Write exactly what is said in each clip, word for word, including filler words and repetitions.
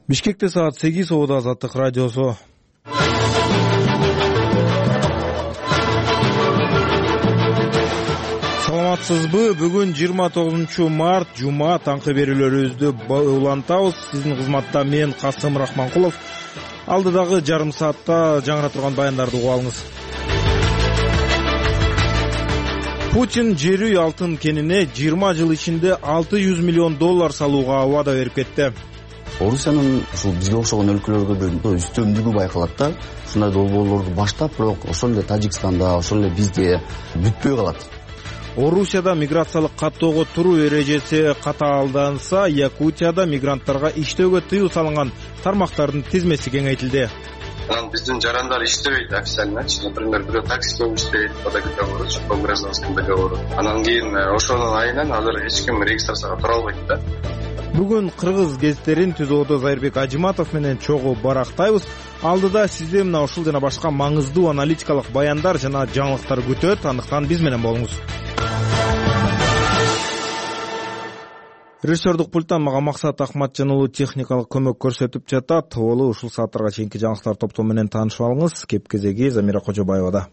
Бишкекте саат сегиз, Ободо Азаттык радиосу. Саламатсызбы? Бүгүн жыйырма тогузунчу март, жума, таңкы берүүлөрүбүздү улантабыз. Сиздин кызматта мен Касым Рахманкулов. Алдыдагы жарым саатта жаңыра турган баяндарды угуп алыңыз. Путин жер үй алтын кенине жыйырма жыл ичинде алты жүз миллион доллар салууга убада берип кетти. Орусиянын ушул бизге окшогон өлкөлөргө бир үстөмдүгү байкалат да. Ушундай долбоорлорду баштап, бирок ошол эле Тажикстанда, ошол эле бизде бүтпөй калат. Орусияда миграциялык каттоого туруу эрежеси катаалданса, Якутияда мигранттарга иштөөгө тыюу салынган тармактардын тизмеси кеңейтилди. Анан биздин жарандар иштебейт официально. Например, бирөө таксидөө иштейт, по договору, по гражданскому договору. Анан кийин ошонун айынан азыр эч ким регистрацияга тура албайт да. Бүгүн кыргыз гезиттерин Түзөөдө Зайырбек Ажиматов менен чогуу барактайбыз. Алдыда сизди мына ушул жана башка маңыздуу аналитикалык баяндар жана жаңылыктар күтөт. Андыктан биз менен болуңуз. Режиссердук пульттан мага Максат Акматжан уулу техникалык көмөк көрсөтүп жатат. Болу ушул сааттарга чейинки жаңылыктар топтому менен таанышып алыңыз. Кеп кезеги Замира Кожобаевада.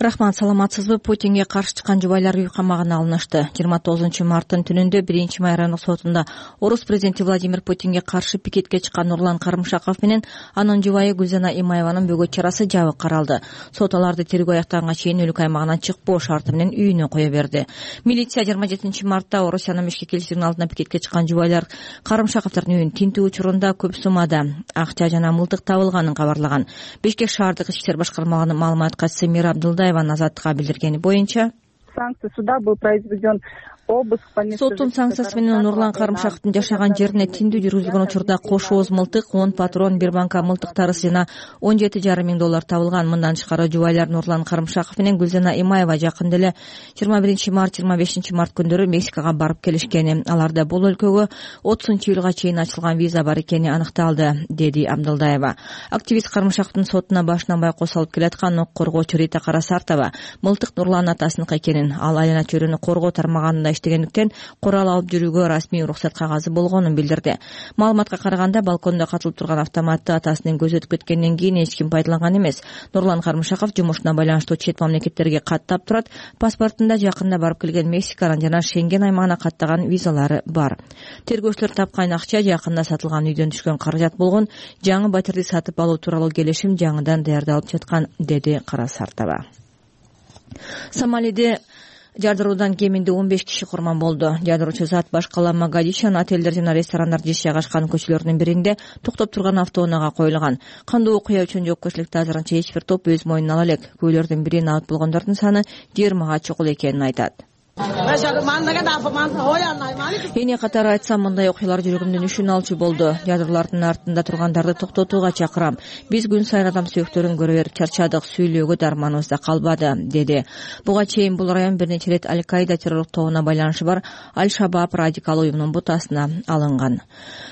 Рахмат, саламатсызбы? Путинге каршы чыккан жубайлар үй камагына алынышты. жыйырма тогузунчу марттын түнүндө биринчи май райондук сотунда орус президенти Владимир Путинге каршы пикетке чыккан Нурлан Карымшаков менен анын жубайы Гүлзана Имаеванын бөгөт чарасы жабык каралды. Сот аларды тергөө аяктаганга чейин өлкө аймагынан чыкпоо шарты менен үйүнө кое берди. Милиция жыйырма жетинчи мартта Орусиянын Бишкек элчилигинин алдына пикетке чыккан жубайлар Карымшаковдордун үйүн тинтүү учурунда көп суммада акча жана мылтык табылганын кабарлаган. Бишкек шаардык ички иштер башкармалыгынын маалымат катчысы Мира Абдылдаева Азаттыкка билдиргени боюнча, санкция суда был произведен обыск по месту. Соттун санкциясы менен Нурлан Карымшаковдун жашаган жерине тиндүү жүргүзүлгөн учурда кош ооз мылтык, он патрон, бир банка мылтык тарысы жана он жети жарым миң доллар табылган. Мындан тышкары жубайлар Нурлан Карымшаков менен Гүлзана Имаева жакында эле жыйырма биринчи март, жыйырма бешинчи март күндөрү Мексикага барып келишкени. Аларда бул өлкөгө отузунчу июлга чейин ачылган виза бар экени аныкталды, деди Абдылдаева. Активист Карымшаковдун сотуна башынан байкоос алып келаткан ок коргоочу Рита Карасартова мылтык Нурлан атасыныкы экенин, ал айлана чөйрөнү коргоо тармаганында иштегендиктен курал алып жүрүүгө расмий уруксат кагазы болгонун билдирди. Маалыматка караганда, балкондо катылып турган автоматты атасынын көзү өтүп кеткенден кийин эч ким пайдаланган эмес. Нурлан Карымшаков жумушуна байланыштуу чет мамлекеттерге каттап турат. Паспортунда жакында барып келген Мексиканын жана Шенген аймагына каттаган визалары бар. Тергөөчүлөр тапкан акча жакында сатылган үйдөн түшкөн каражат болгон. Жаңы батирди сатып алуу тууралуу келишим жаңыдан даярдалып жаткан, деди Карасартова. Сомалиде жардыруудан кеминде он беш киши курман болду. Жардыруучу зат баш кала Могадишонун отелдер жана ресторандар жеш жайгашкан көчөлөрдүн биринде токтоп турган автоунаага коюлган. Кандуу окуя үчүн жоопкерчиликти азырынча эч бир топ өз мойнуна ала элек. Күбөлөрдүн бири набыт болгондордун саны жыйырмага чукул экенин айтат. Эне катары айтсам, мындай окуялар жүрөгүмдүн үшүн алчу болду. Жардыруулардын артында тургандарды токтотууга чакырам. Биз күн сайын адам сүйөктөрүн көрө берип чарчадык, сүйлөөгө дарманыбыз да калбады, деди. Буга чейин бул район бир нече рет Аль-Каида террорлук тобуна байланышы бар Аль-Шабаб радикал уюмунун бутасына алынган.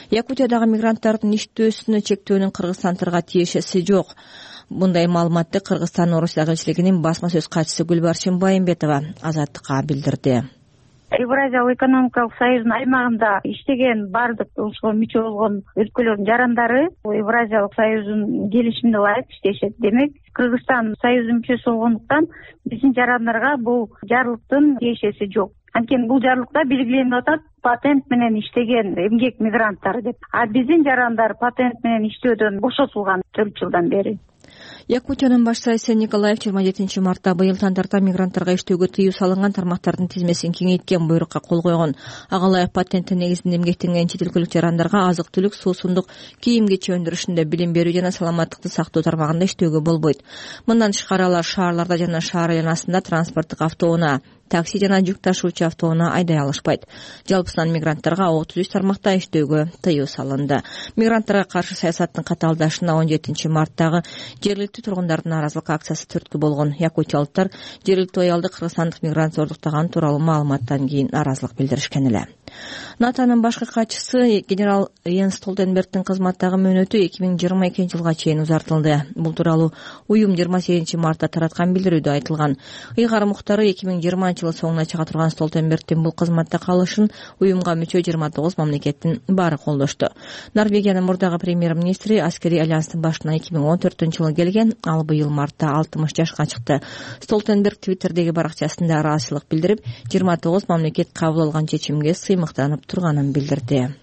Якутиядагы мигранттардын иштөөсүнө чектөөнүн Кыргызстандырга тиешеси жок. Мындай маалыматты Кыргызстан Орусия элчилигинин басма сөз катчысы Гүлбарчын Байымбетова Азаттыкка билдирди. Евразиялык экономикалык союздун аймагында иштеген бардык ошого мүчө болгон өлкөлөрдүн жарандары Евразиялык союздун келишимине ылайык иштешет. Демек, Кыргызстан союздун мүчөсү болгондуктан биздин жарандарга бул жарлыктын тиешеси жок. Анткени бул жарлыкта белгиленип атат патент менен иштеген эмгек мигранттары деп. А биздин жарандар патент менен иштөөдөн бошотулган төрт жылдан бери. Якутиянын баш сайысы Николаев жыйырма жетинчи мартта быйыл тандарда мигранттарга иштөөгө тыюу салынган тармактардын тизмесин кеңейткен буйрукка кол койгон. Ага ылайык патенттин негизинде эмгектенген чет өлкөлүк жарандарга азык-түлүк, суусундук, кийим-кечи өндүрүшүндө, билим берүү жана саламаттыкты сактоо тармагында иштөөгө болбойт. Мындан тышкары алар шаарларда жана шаар айланасында транспорттук автоунаа, такси жана жүк ташуучу автоунаа айдай алышпайт. Жалпысынан мигранттарга отуз үч тармакта иштөөгө тыюу салынды. Мигранттарга каршы саясаттын катаалдашына он жетинчи марттагы Жергиликтүү тургундардын нааразылык акциясы түрткү болгон. Якутиялыктар жергиликтүү аялды кыргызстандык мигрант зордуктаган тууралуу маалыматтан кийин нааразылык билдиришкен эле. НАТОнун башкы катчысы генерал Йенс Столтенбергдин кызматтагы мөөнөтү эки миң жыйырма экинчи жылга чейин узартылды. Бул тууралуу уюм жыйырма сегизинчи мартта тараткан билдирүүдө айтылган. Ыйгар муктары эки миң жыйырманчы жылы соңуна чыга турган Столтенбергдин бул кызматта калышын уюмга мүчө жыйырма тогуз мамлекеттин баары колдошту. Норвегиянын мурдагы премьер-министри аскерий альянстын башына эки миң он төртүнчү жылы келген, ал быйыл мартта алтымыш жашка чыкты. Столтенберг Твиттердеги баракчасында ыраазычылык билдирип, жыйырма тогуз мамлекет кабыл алган чечимге сыймыктанып турганын билдирди.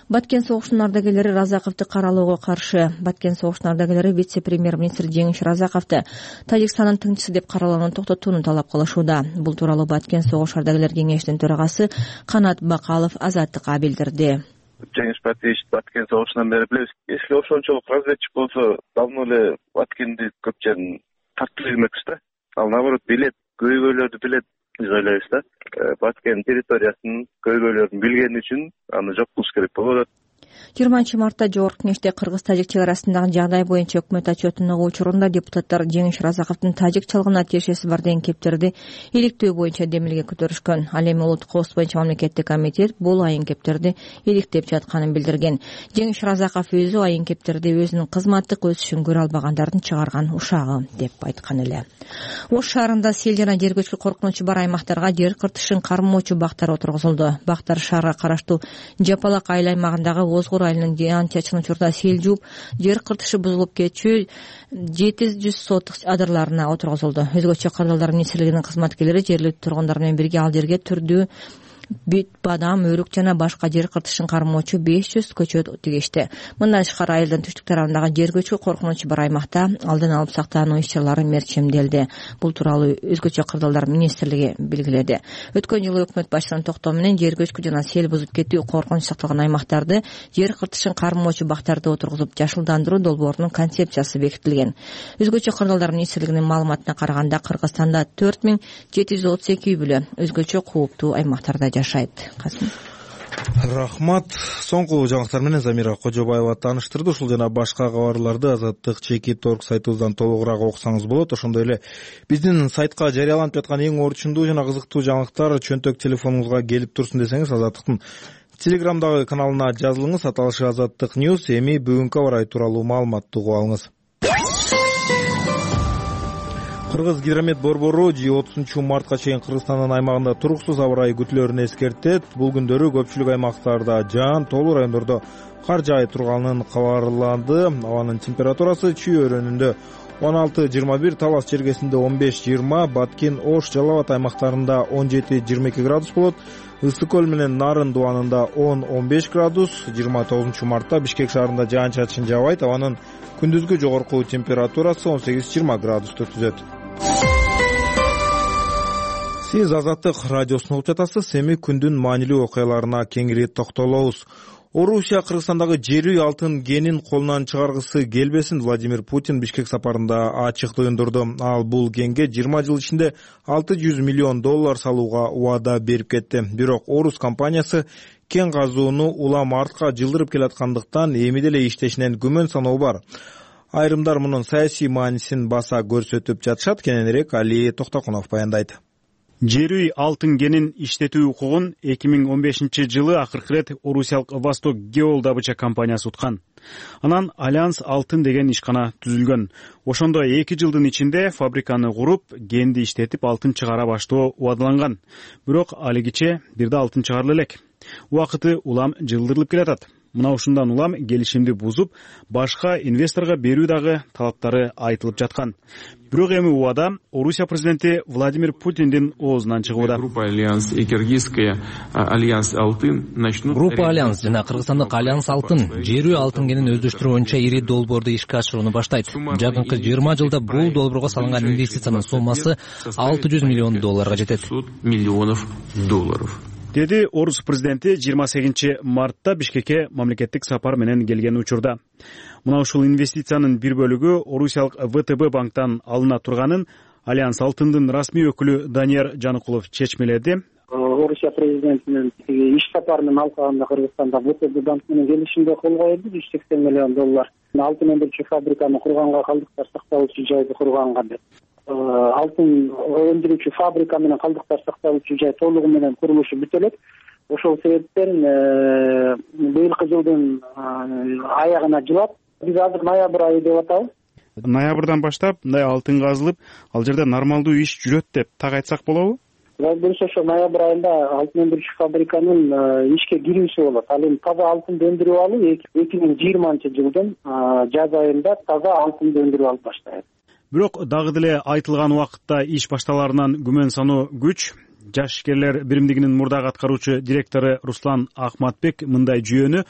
Баткен согушунун ардагерлери Разаковду каралоого каршы. Баткен согушунун ардагерлери вице-премьер-министр Жеңиш Разаковду Тажикстандын тыңчысы деп каралууну токтотууну талап кылышууда. Бул тууралуу Баткен согуш ардагерлер кеңешинин төрагасы Канат Бакалов Азаттыкка билдирди. Жеңиш Батиевич Баткен согушунан бери билебиз. Эски ошончолук разведчик болсо, давно эле Баткенди көп жерин тартып жүрмөкчү да. Ал наоборот билет, көйгөйлөрдү билет. Биз ойлойбуз да, Баткен территориясынын көйгөйлөрүн билгени үчүн аны жок кылыш керек болуп атат. жыйырманчы мартта Жогорку Кеңеште Кыргыз-Тажик чек арасындагы жагдай боюнча өкмөт отчетун угуу учурунда депутаттар Жеңиш Разаковдун тажик чалгына тиешеси бар деген кептерди иликтөө боюнча демилге көтөрүшкөн. Ал эми улуттук коопсуздук боюнча мамлекеттик комитет бул айын кептерди иликтеп жатканын билдирген. Жеңиш Разаков өзү айын кептерди өзүнүн кызматтык өсүшүн көрө албагандардын чыгарган ушагы деп айткан эле. Ош шаарында сел жана жер көчкү коркунучу бар аймактарга жер кыртышын кармоочу бактар отургузулду. Бактар шаарга караштуу Жапалак айыл аймагындагы Озгор айылынын жаан-чачкын учурда сел жууп, жер кыртышы бузулуп кетчү жети жүз сотук адырларына отургузулду. Өзгөчө кырдаалдар министрлигинин кызматкерлери жергиликтүү тургундар менен бирге ал жерге түрдүү бүт, бадам, өрүк жана башка жер кыртышын кармоочу беш жүз көчөт тигишти. Мындан тышкары айылдын түштүк тарабындагы жер көчкү коркунучу бар аймакта алдын алып сактануу иш-чаралары мерчемделди. Бул тууралуу өзгөчө кырдаалдар министрлиги белгиледи. Өткөн жылы өкмөт башчысынын токтоо менен жер көчкү жана сел бузуп кетүү коркунуч сакталган аймактарды жер кыртышын кармоочу бактарды отургузуп жашылдандыруу долбоорунун концепциясы бекитилген. Өзгөчө кырдаалдар министрлигинин маалыматына караганда Кыргызстанда төрт миң жети жүз отуз эки үй бүлө өзгөчө кууптуу аймактарда жашайт. Касым. Рахмат. Соңку жаңылыктар менен Замира Кожобаева тааныштырды. Ушул жана башка кабарларды Азаттык чекит точка орг сайтыбыздан толугураак окусаңыз болот. Ошондой эле биздин сайтка жарыяланып жаткан эң орчундуу жана кызыктуу жаңылыктар чөнтөк телефонуңузга келип турсун десеңиз, Азаттыктын Телеграмдагы каналына жазылыңыз. Аталышы Азаттык Ньюс. Эми бүгүнкү аба ырайы тууралуу маалыматты угуп алыңыз. Кыргыз гидромет борбору отузунчу мартка чейин Кыргызстандын аймагында туруксуз аба ырайы күтүлөрүн эскертет. Бул күндөрү көпчүлүк аймактарда жаан, тоолуу райондордо кар жаай турганын кабарланды. Абанын температурасы Чүй өрөөнүндө он алты жыйырма бир, Талас жергесинде он беш жыйырма, Баткен, Ош, Жалал Абад аймактарында он жети жыйырма эки градус болот. Ысык көл менен Нарын дубанында он он беш градус. жыйырма тогузунчу мартта Бишкек шаарында жаан-чачын жаабайт. Абанын күндүзгү жогорку температурасы он сегиз жыйырма градусту түзөт. Сиз Азаттык радиосун угуп жатасыз. Эми күндүн маанилүү окуяларына кеңири токтолобуз. Орусия Кыргызстандагы жер үй алтын кенин колунан чыгаргысы келбесин Владимир Путин Бишкек сапарында ачык туюндурду. Ал бул кенге жыйырма жыл ичинде алты жүз миллион доллар салууга убада берип кетти. Бирок Орус компаниясы кен казууну улам артка жылдырып келаткандыктан эми деле иштешинен күмөн саноо бар. Айрымдар мунун саясий маанисин баса көрсөтүп жатышат. Кененирээк Али Токтокунов баяндайт. Жер үй алтын кенин иштетүү укугун эки миң он бешинчи жылы акыркы ирет орусиялык Восток Геол добыча компаниясы уткан. Анан Альянс алтын деген ишкана түзүлгөн. Ошондо эки жылдын ичинде фабриканы куруп, кенди иштетип алтын чыгара баштоо убадаланган. Бирок алигиче бир да алтын чыгарыла элек. Убакыты улам жылдырылып келатат. Мына ушундан улам келишимди бузуп, башка инвесторго берүү дагы талаптары айтылып жаткан. Бирок эми убада Орусия президенти Владимир Путиндин оозунан чыгууда. Группа Альянс и Киргизская Альянс Алтын начнут. Группа Альянс жана Кыргызстандык Альянс Алтын жер үй алтын кенин өздөштүрүү боюнча ири долбоорду ишке ашырууну баштайт. Жакынкы жыйырма жылда бул долбоорго салынган инвестициянын суммасы алты жүз миллион долларга жетет. Миллионов долларов. Деди Орус президенти жыйырма сегизинчи мартта Бишкекке мамлекеттик сапар менен келген учурда. Мына ушул инвестициянын бир бөлүгү Орусиялык вэ тэ бэ банктан алына турганын Альянс Алтындын расмий өкүлү Данияр Жаныкулов чечмеледи. Орусия президентинин иш сапарынын алкагында Кыргызстанда ВТБ банк менен келишимге кол коюлду жүз сексен миллион доллар алтын өндүрүүчү фабриканы курганга, калдыктар сакталуучу жайды курганга деп. Алтын өндүрүүчү фабрика менен калдыктар сакталуучу жай толугу менен курулушу бүтө элек. Ошол себептен быйылкы жылдын аягына жылап, биз азыр ноябрь айы деп атабыз. Ноябрдан баштап мындай алтын казылып, ал жерде нормалдуу иш жүрөт деп так айтсак болобу? Дөрүс ошо ноябрь айында алтын өндүрүүчү фабриканын ишке кирүүсү болот. Ал эми таза алтынды өндүрүп алуу эки миң жыйырманчы жылдын жаз айында таза алтынды өндүрүп алып баштайт. Бирок дагы деле айтылган убакытта иш башталарынан күмөн саноо күч. Жаш ишкерлер биримдигинин мурдагы аткаруучу директору Руслан Ахматбек мындай жүйөнү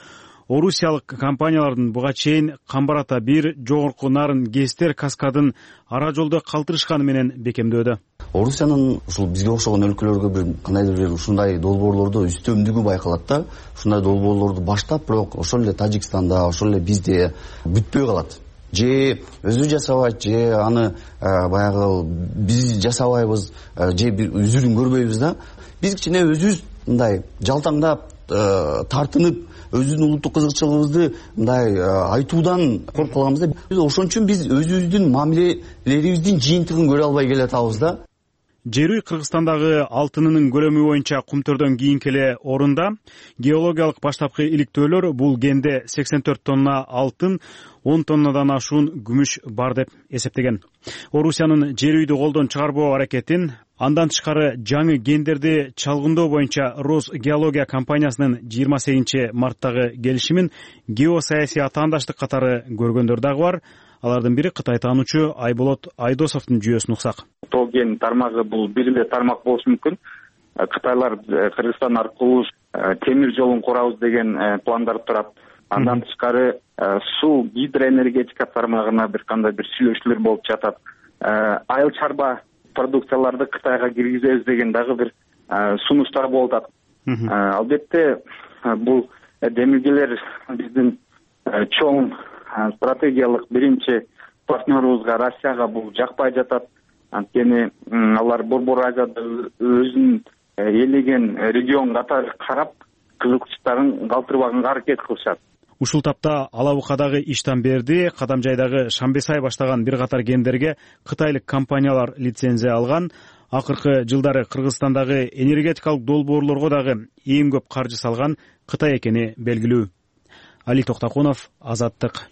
орусиялык компаниялардын буга чейин Камбарата бир, жогорку Нарын Гестер каскадын ара жолдо калтырышканы менен бекемдөөдө. Орусиянын ушул бизге окшогон өлкөлөргө бир кандайдыр бир ушундай долбоорлордо үстөмдүгү байкалат да. Ушундай долбоорлорду баштап, бирок ошол эле Тажикстанда, ошол эле бизде бүтпөй калат. Же өзү жасабайт, же аны баягы биз жасабайбыз, же үзүрүн көрбөйбүз да. Биз кичине өзүбүз мындай жалтаңдап, тартынып, өзүбүздүн улуттук кызыкчылыгыбызды мындай айтуудан коркуп калганбыз да. Биз ошон үчүн биз өзүбүздүн мамилелерибиздин жыйынтыгын көрө албай келатабыз да. Жерүй Кыргызстандагы алтынынын көлөмү боюнча кумтөрдөн кийинки эле орунда. Геологиялык баштапкы иликтөөлөр бул кенде сексен төрт тонна алтын, он тоннадан ашуун күмүш бар деп эсептеген. Орусиянын Жерүйдү колдон чыгарбоо аракетин, андан тышкары жаңы кендерди чалгындоо боюнча Росгеология компаниясынын жыйырма сегизинчи марттагы келишимин геосаясий атаандаштык катары көргөндөр дагы бар. Алардын бири Кытай таануучу Айболот Айдосовдун жүйөсүн уксак. Тоо кен тармагы бул бир эле тармак болушу мүмкүн. Кытайлар Кыргызстан аркылуу темир жолун курабыз деген пландар турат. Андан тышкары суу гидроэнергетика тармагына бир кандай бир сүйлөшүүлөр болуп жатат. Айыл чарба продукцияларды Кытайга киргизебиз деген дагы бир сунуштар болуп атат. Албетте бул демилгелер биздин чоң стратегиялык биринчи партнерубузга Россияга бул жакпай жатат. Анткени алар Борбор Азияда өзүнүн ээлеген регион катары карап, кызыкчылыктарын калтырбаганга аракет кылышат. Ушул тапта Алабукадагы Иштанберди, Кадамжайдагы Шамбесай баштаган бир катар кендерге кытайлык компаниялар лицензия алган. Акыркы жылдары Кыргызстандагы энергетикалык долбоорлорго дагы эң көп каржы салган Кытай экени белгилүү. Али Токтокунов, Азаттык.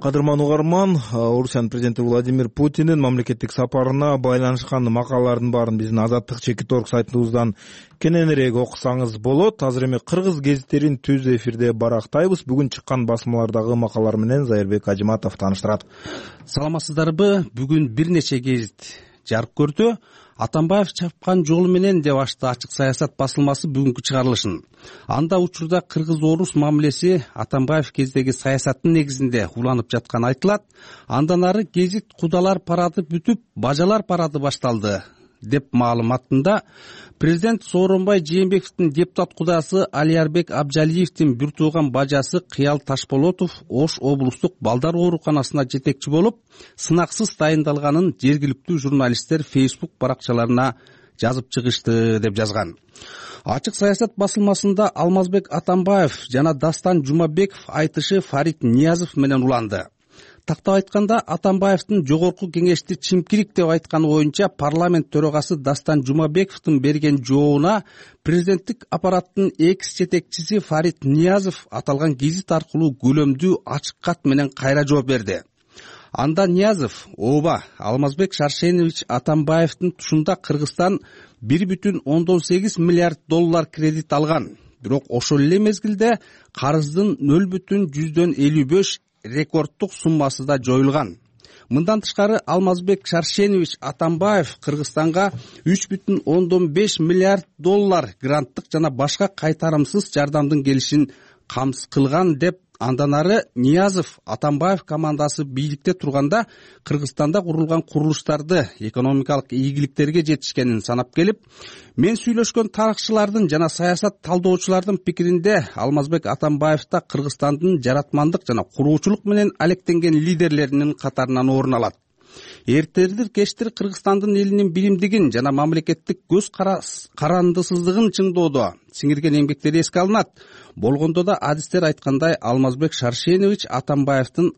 Кадырман угарман, Орусиянын президенти Владимир Путиндин мамлекеттик сапарына байланышкан макалалардын баарын биздин Азаттык чекит орг сайтыбыздан кененирээк окусаңыз болот. Азыр эми кыргыз гезиттерин түз эфирде барактайбыз. Бүгүн чыккан басмалардагы макалалар менен Зайырбек Ажиматов тааныштырат. Саламатсыздарбы? Бүгүн бир нече гезит жарык көрдү. Атамбаев чапкан жолу менен деп ачты Ачык саясат басылмасы бүгүнкү чыгарылышын. Анда учурда кыргыз-орус мамилеси Атамбаев кездеги саясаттын негизинде уланып жатканы айтылат. Андан ары гезит кудалар парады бүтүп, бажалар парады башталды деп маалыматында президент Сооронбай Жээнбековдун депутат кудасы Алиярбек Абжалиевдин бир тууган бажасы Кыял Ташполотов Ош облустук балдар ооруканасына жетекчи болуп, сынаксыз дайындалганын жергиликтүү журналисттер Facebook баракчаларына жазып чыгышты деп жазган. Ачык саясат басылмасында Алмазбек Атамбаев жана Дастан Жумабеков айтышы Фарид Ниязов менен уланды. Тактап айтканда, Атамбаевдин жогорку кеңешти чимкирик деп айтканы боюнча парламент төрагасы Дастан Жумабековдун берген жообуна президенттик аппараттын экс жетекчиси Фарид Ниязов аталган гезит аркылуу көлөмдүү ачык кат менен кайра жооп берди. Анда Ниязов, ооба, Алмазбек Шаршенович Атамбаевдин тушунда Кыргызстан бир бүтүн ондон сегиз миллиард доллар кредит алган. Бирок ошол эле мезгилде карыздын нөл бүтүн жүздөн элүү беш рекордтук суммасы да жоюлган. Мындан тышкары Алмазбек Шаршенович Атамбаев Кыргызстанга үч бүтүн ондон беш миллиард доллар гранттык жана башка кайтарымсыз жардамдын келишин камсыз кылган деп андан ары Ниязов Атамбаев командасы бийликте турганда Кыргызстанда курулган курулуштарды экономикалык ийгиликтерге жетишкенин санап келип, мен сүйлөшкөн тарыхчылардын жана саясат талдоочулардын пикиринде Алмазбек Атамбаев да Кыргызстандын жаратмандык жана куруучулук менен алектенген лидерлеринин катарынан орун алат. эртелдир кечтир Кыргызстандын элинин билимдигин жана мамлекеттик көз карандысыздыгын чыңдоодо сиңирген эмгектери эске алынат. Болгондо да адистер айткандай Алмазбек Шаршенович Атамбаевдин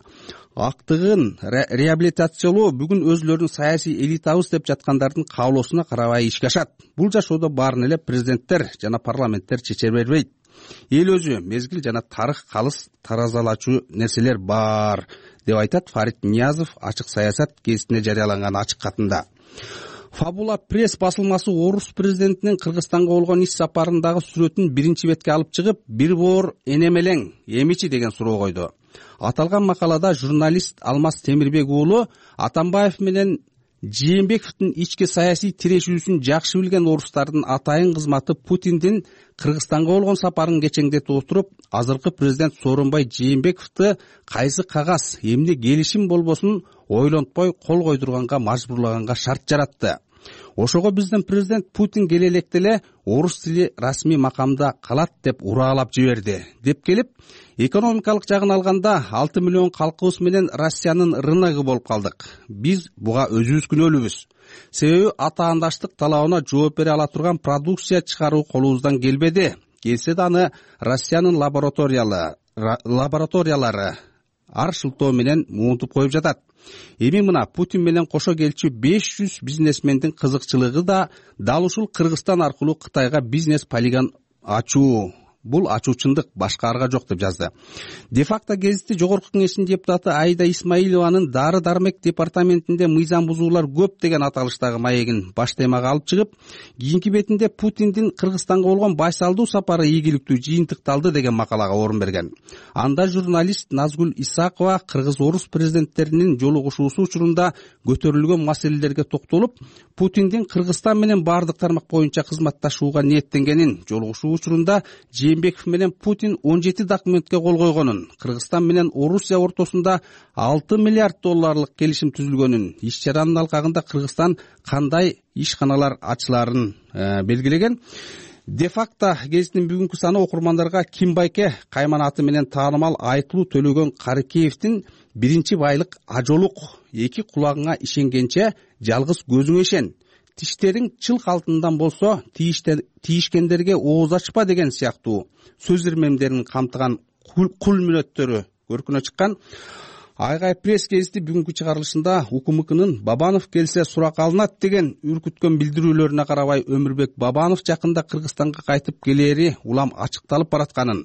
актыгын реабилитациялоо бүгүн өзүлөрүн саясий элитабыз деп жаткандардын каалоосуна карабай ишке ашат. Бул жашоодо баарын эле президенттер жана парламенттер чече бербейт. Эл өзү, мезгил жана тарых калыс таразалачу нерселер бар деп айтат Фарид Ниязов ачык саясат гезитине жарыяланган ачык катында. Фабула пресс басылмасы орус президентинин Кыргызстанга болгон иш сапарындагы сүрөтүн биринчи бетке алып чыгып, бир боор энемелең эмичи деген суроо койду. Аталган макалада журналист Алмаз Темирбек уулу Атамбаев менен Жээнбековдун ички саясий тирешүүсүн жакшы билген орустардын атайын кызматы Путиндин Кыргызстанга болгон сапарын кечеңдетип отуруп, азыркы президент Сооронбай Жээнбековду кайсы кагаз, эмне келишим болбосун ойлонтпой кол койдурганга мажбурлаганга шарт жаратты. Ошого биздин президент Путин келе электе эле орус тили расмий макамда калат деп ураалап жиберди деп келип, экономикалык жагын алганда алты миллион калкыбыз менен Россиянын рыногу болуп калдык. Биз буга өзүбүз күнөөлүүбүз. Себеби атаандаштык талабына жооп бере ала турган продукция чыгаруу колубуздан келбеди. Келсе да аны Россиянын лабораториялары лабораториялары ар шылтоо менен муунтуп коюп жатат. Эми мына Путин менен кошо келчү беш жүз бизнесмендин кызыкчылыгы да дал ушул Кыргызстан аркылуу Кытайга бизнес полигон ачуу. Бул ачуучундук, башка арга жок деп жазды. Де-факто гезити жогорку кеңештин депутаты Айда Исмаилованын дары дармек департаментинде мыйзам бузуулар көп деген аталыштагы маегин баш темага алып чыгып, кийинки бетинде Путиндин Кыргызстанга болгон байсалдуу сапары ийгиликтүү жыйынтыкталды деген макалага орун берген. Анда журналист Назгүл Исакова кыргыз-орус президенттеринин жолугушуусу учурунда көтөрүлгөн маселелерге токтолуп, Путиндин Кыргызстан менен баардык тармак боюнча кызматташууга ниеттенгенин, жолугушуу учурунда Жээнбеков менен Путин он жети документке кол койгонун, Кыргызстан менен Орусия ортосунда алты миллиард долларлык келишим түзүлгөнүн, иш чаранын алкагында Кыргызстан кандай ишканалар ачыларын белгилеген. Де-факто гезитинин бүгүнкү саны окурмандарга Ким Байке кайман аты менен таанымал Айтылуу Төлөгөн Карыкеевдин биринчи байлык ажолук, эки кулагыңа ишенгенче жалгыз көзүңө ишен, тиштериң чылк алтындан болсо тийишкендерге ооз ачпа деген сыяктуу сөз ирмемдерин камтыган кул мүнөттөрү көркүнө чыккан. Айгай пресс гезити бүгүнкү чыгарылышында УКМКнын Бабанов келсе сурак алынат деген үркүткөн билдирүүлөрүнө карабай Өмүрбек Бабанов жакында Кыргызстанга кайтып келери улам ачыкталып баратканын,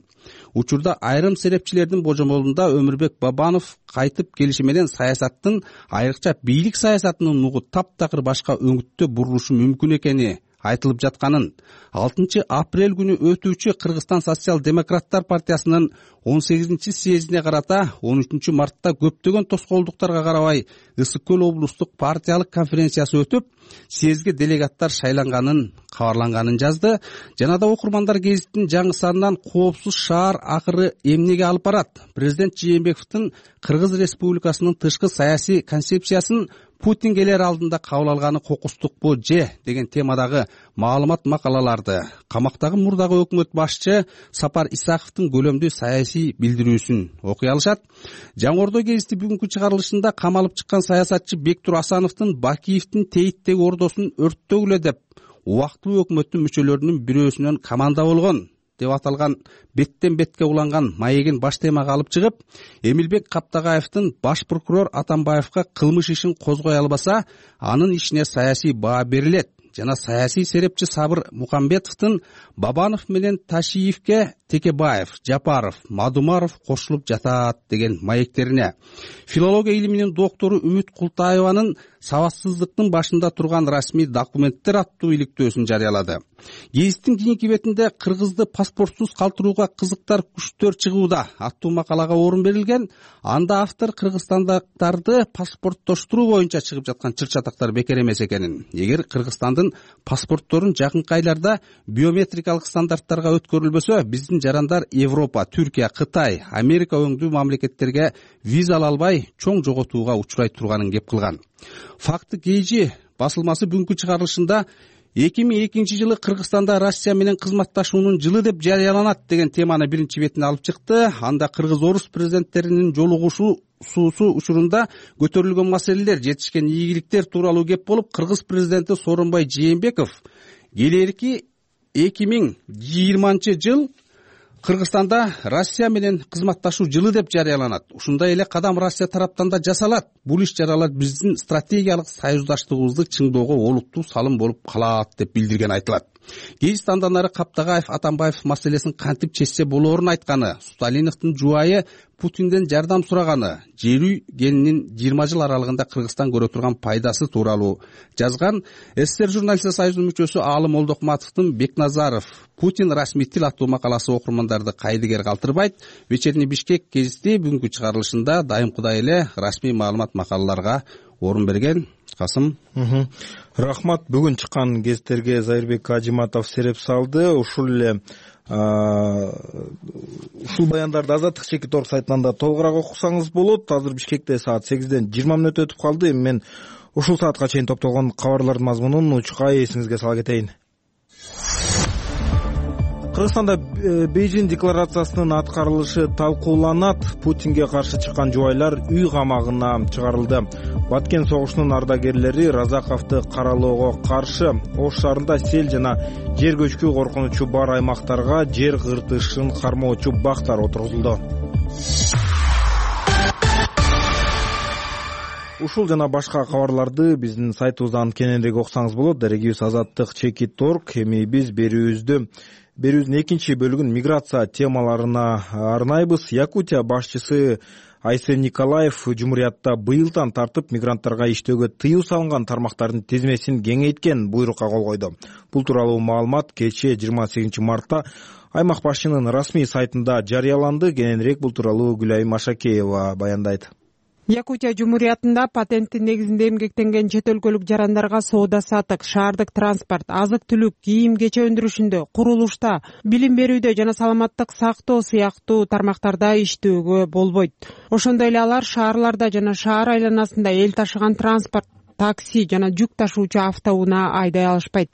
учурда айрым серепчилердин божомолунда Өмүрбек Бабанов кайтып келиши менен саясаттын, айрыкча бийлик саясатынын нугу таптакыр башка өңүттө бурулушу мүмкүн экени айтылып жатканын, алтынчы апрель күнү өтүүчү Кыргызстан социал-демократтар партиясынын он сегизинчи съездине карата он үчүнчү мартта көптөгөн тоскоолдуктарга карабай Ысык көл облустук партиялык конференциясы өтүп, съездге делегаттар шайланганын кабарланганын жазды. Жана да окурмандар гезиттин жаңы санынан коопсуз шаар акыры эмнеге алып барат? Президент Жээнбековдун Кыргыз Республикасынын тышкы саясий концепциясын Путин келер алдында кабыл алганы кокустукпу же деген темадагы маалымат макалаларды, камактагы мурдагы өкмөт башчы Сапар Исаковдун көлөмдүү саясий билдирүүсүн окуй алышат. Жаңы Ордо гезити бүгүнкү чыгарылышында камалып чыккан саясатчы Бектур Асановдун Бакиевдин Тейиттеги ордосун өрттөгүлө деп убактылуу өкмөттүн мүчөлөрүнүн бирөөсүнөн команда болгон деп аталган беттен бетке уланган маегин баш темага алып чыгып, Эмилбек Каптагаевдин баш прокурор Атамбаевга кылмыш ишин козгой албаса, анын ишине саясий баа берилет жана саясий серепчи Сабыр Мукамбетовдун Бабанов менен Ташиевке Текебаев, Жапаров, Мадумаров кошулуп жатат деген маектерине, филология илиминин доктору Үмүт Култаеванын сабатсыздыктын башында турган расмий документтер аттуу иликтөөсүн жарыялады. Гезиттин кийинки бетинде кыргызды паспортсуз калтырууга кызыктар күчтөр чыгууда аттуу макалага орун берилген. Анда автор кыргызстандыктарды паспорттоштуруу боюнча чыгып жаткан чыр-чатактар бекер эмес экенин, эгер Кыргызстандын паспортторун жакынкы айларда биометрикалык стандарттарга өткөрүлбөсө, биздин жарандар Европа, Түркия, Кытай, Америка өңдүү мамлекеттерге виза ала албай чоң жоготууга учурай турганын кеп кылган. Факты Кейжи басылмасы бүгүнкү чыгарылышында эки миң экинчи жылы Кыргызстанда Россия менен кызматташуунун жылы деп жарыяланат деген теманы биринчи бетине алып чыкты. Анда кыргыз-орус президенттеринин жолугушуусу учурунда көтөрүлгөн маселелер, жетишкен ийгиликтер тууралуу кеп болуп, кыргыз президенти Сооронбай Жээнбеков келерки эки миң жыйырманчы жыл Кыргызстанда Россия менен кызматташуу жылы деп жарыяланат. Ушундай эле кадам Россия тараптан да жасалат. Бул иш-чаралар биздин стратегиялык союздаштыгыбызды чыңдоого олуттуу салым болуп калат деп билдирген айтылат. Гейс андан ары Каптагаев Атамбаев маселесин кантип чечсе болоорун айтканы, Сталиновдун жубайы Путинден жардам сураганы, жерүү келинин жыйырма жыл аралыгында Кыргызстан көрө турган пайдасы тууралуу жазган СССР журналисттер союзунун мүчөсү Аалым Олдокматовдун Бекназаров Путин расмий тил аттуу макаласы окурмандарды кайдыгер калтырбайт. Вечерний Бишкек гезити бүгүнкү чыгарылышында дайымкыдай эле расмий маалымат макалаларга орун берген. Касым. Рахмат. Бүгүн чыккан гезиттерге Зайырбек Ажиматов сереп салды. Ушул эле ушул баяндарды Азаттык чекит орг сайтынан да толугураак окусаңыз болот. Азыр Бишкекте саат сегизден жыйырма мүнөт өтүп калды. Эми мен ушул саатка чейин топтолгон кабарлардын мазмунун учкай эсиңизге сала кетейин. Кыргызстанда Бейжин декларациясынын аткарылышы талкууланат. Путинге каршы чыккан жубайлар үй камагына чыгарылды. Баткен согушунун ардагерлери Разаковду каралоого каршы. Ош шаарында сел жана жер көчкү коркунучу бар аймактарга жер кыртышын кармоочу бактар отургузулду. Ушул жана башка кабарларды биздин сайтыбыздан кененирээк окусаңыз болот. Дарегибиз Азаттык чекит точка орг. Эми биз берүүбүздү берүүбүздүн экинчи бөлүгүн миграция темаларына арнайбыз. Якутия башчысы Айсен Николаев Жумуриятта быйылдан тартып мигранттарга иштөөгө тыюу салынган тармактардын тизмесин кеңейткен буйрукка кол койду. Бул тууралуу маалымат кечээ жыйырма сегизинчи мартта аймак башчынын расмий сайтында жарыяланды. Кененирээк бул тууралуу Гүлайым Машакеева баяндайт. Якутия Жумуриятында патенттин негизинде эмгектенген чет өлкөлүк жарандарга соода сатык, шаардык транспорт, азык-түлүк, кийим-кече өндүрүшүндө, курулушта, билим берүүдө жана саламаттык сактоо сыяктуу тармактарда иштөөгө болбойт. Ошондой эле алар шаарларда жана шаар айланасында эл ташыган транспорт, такси жана жүк ташуучу автоунаа айдай алышпайт.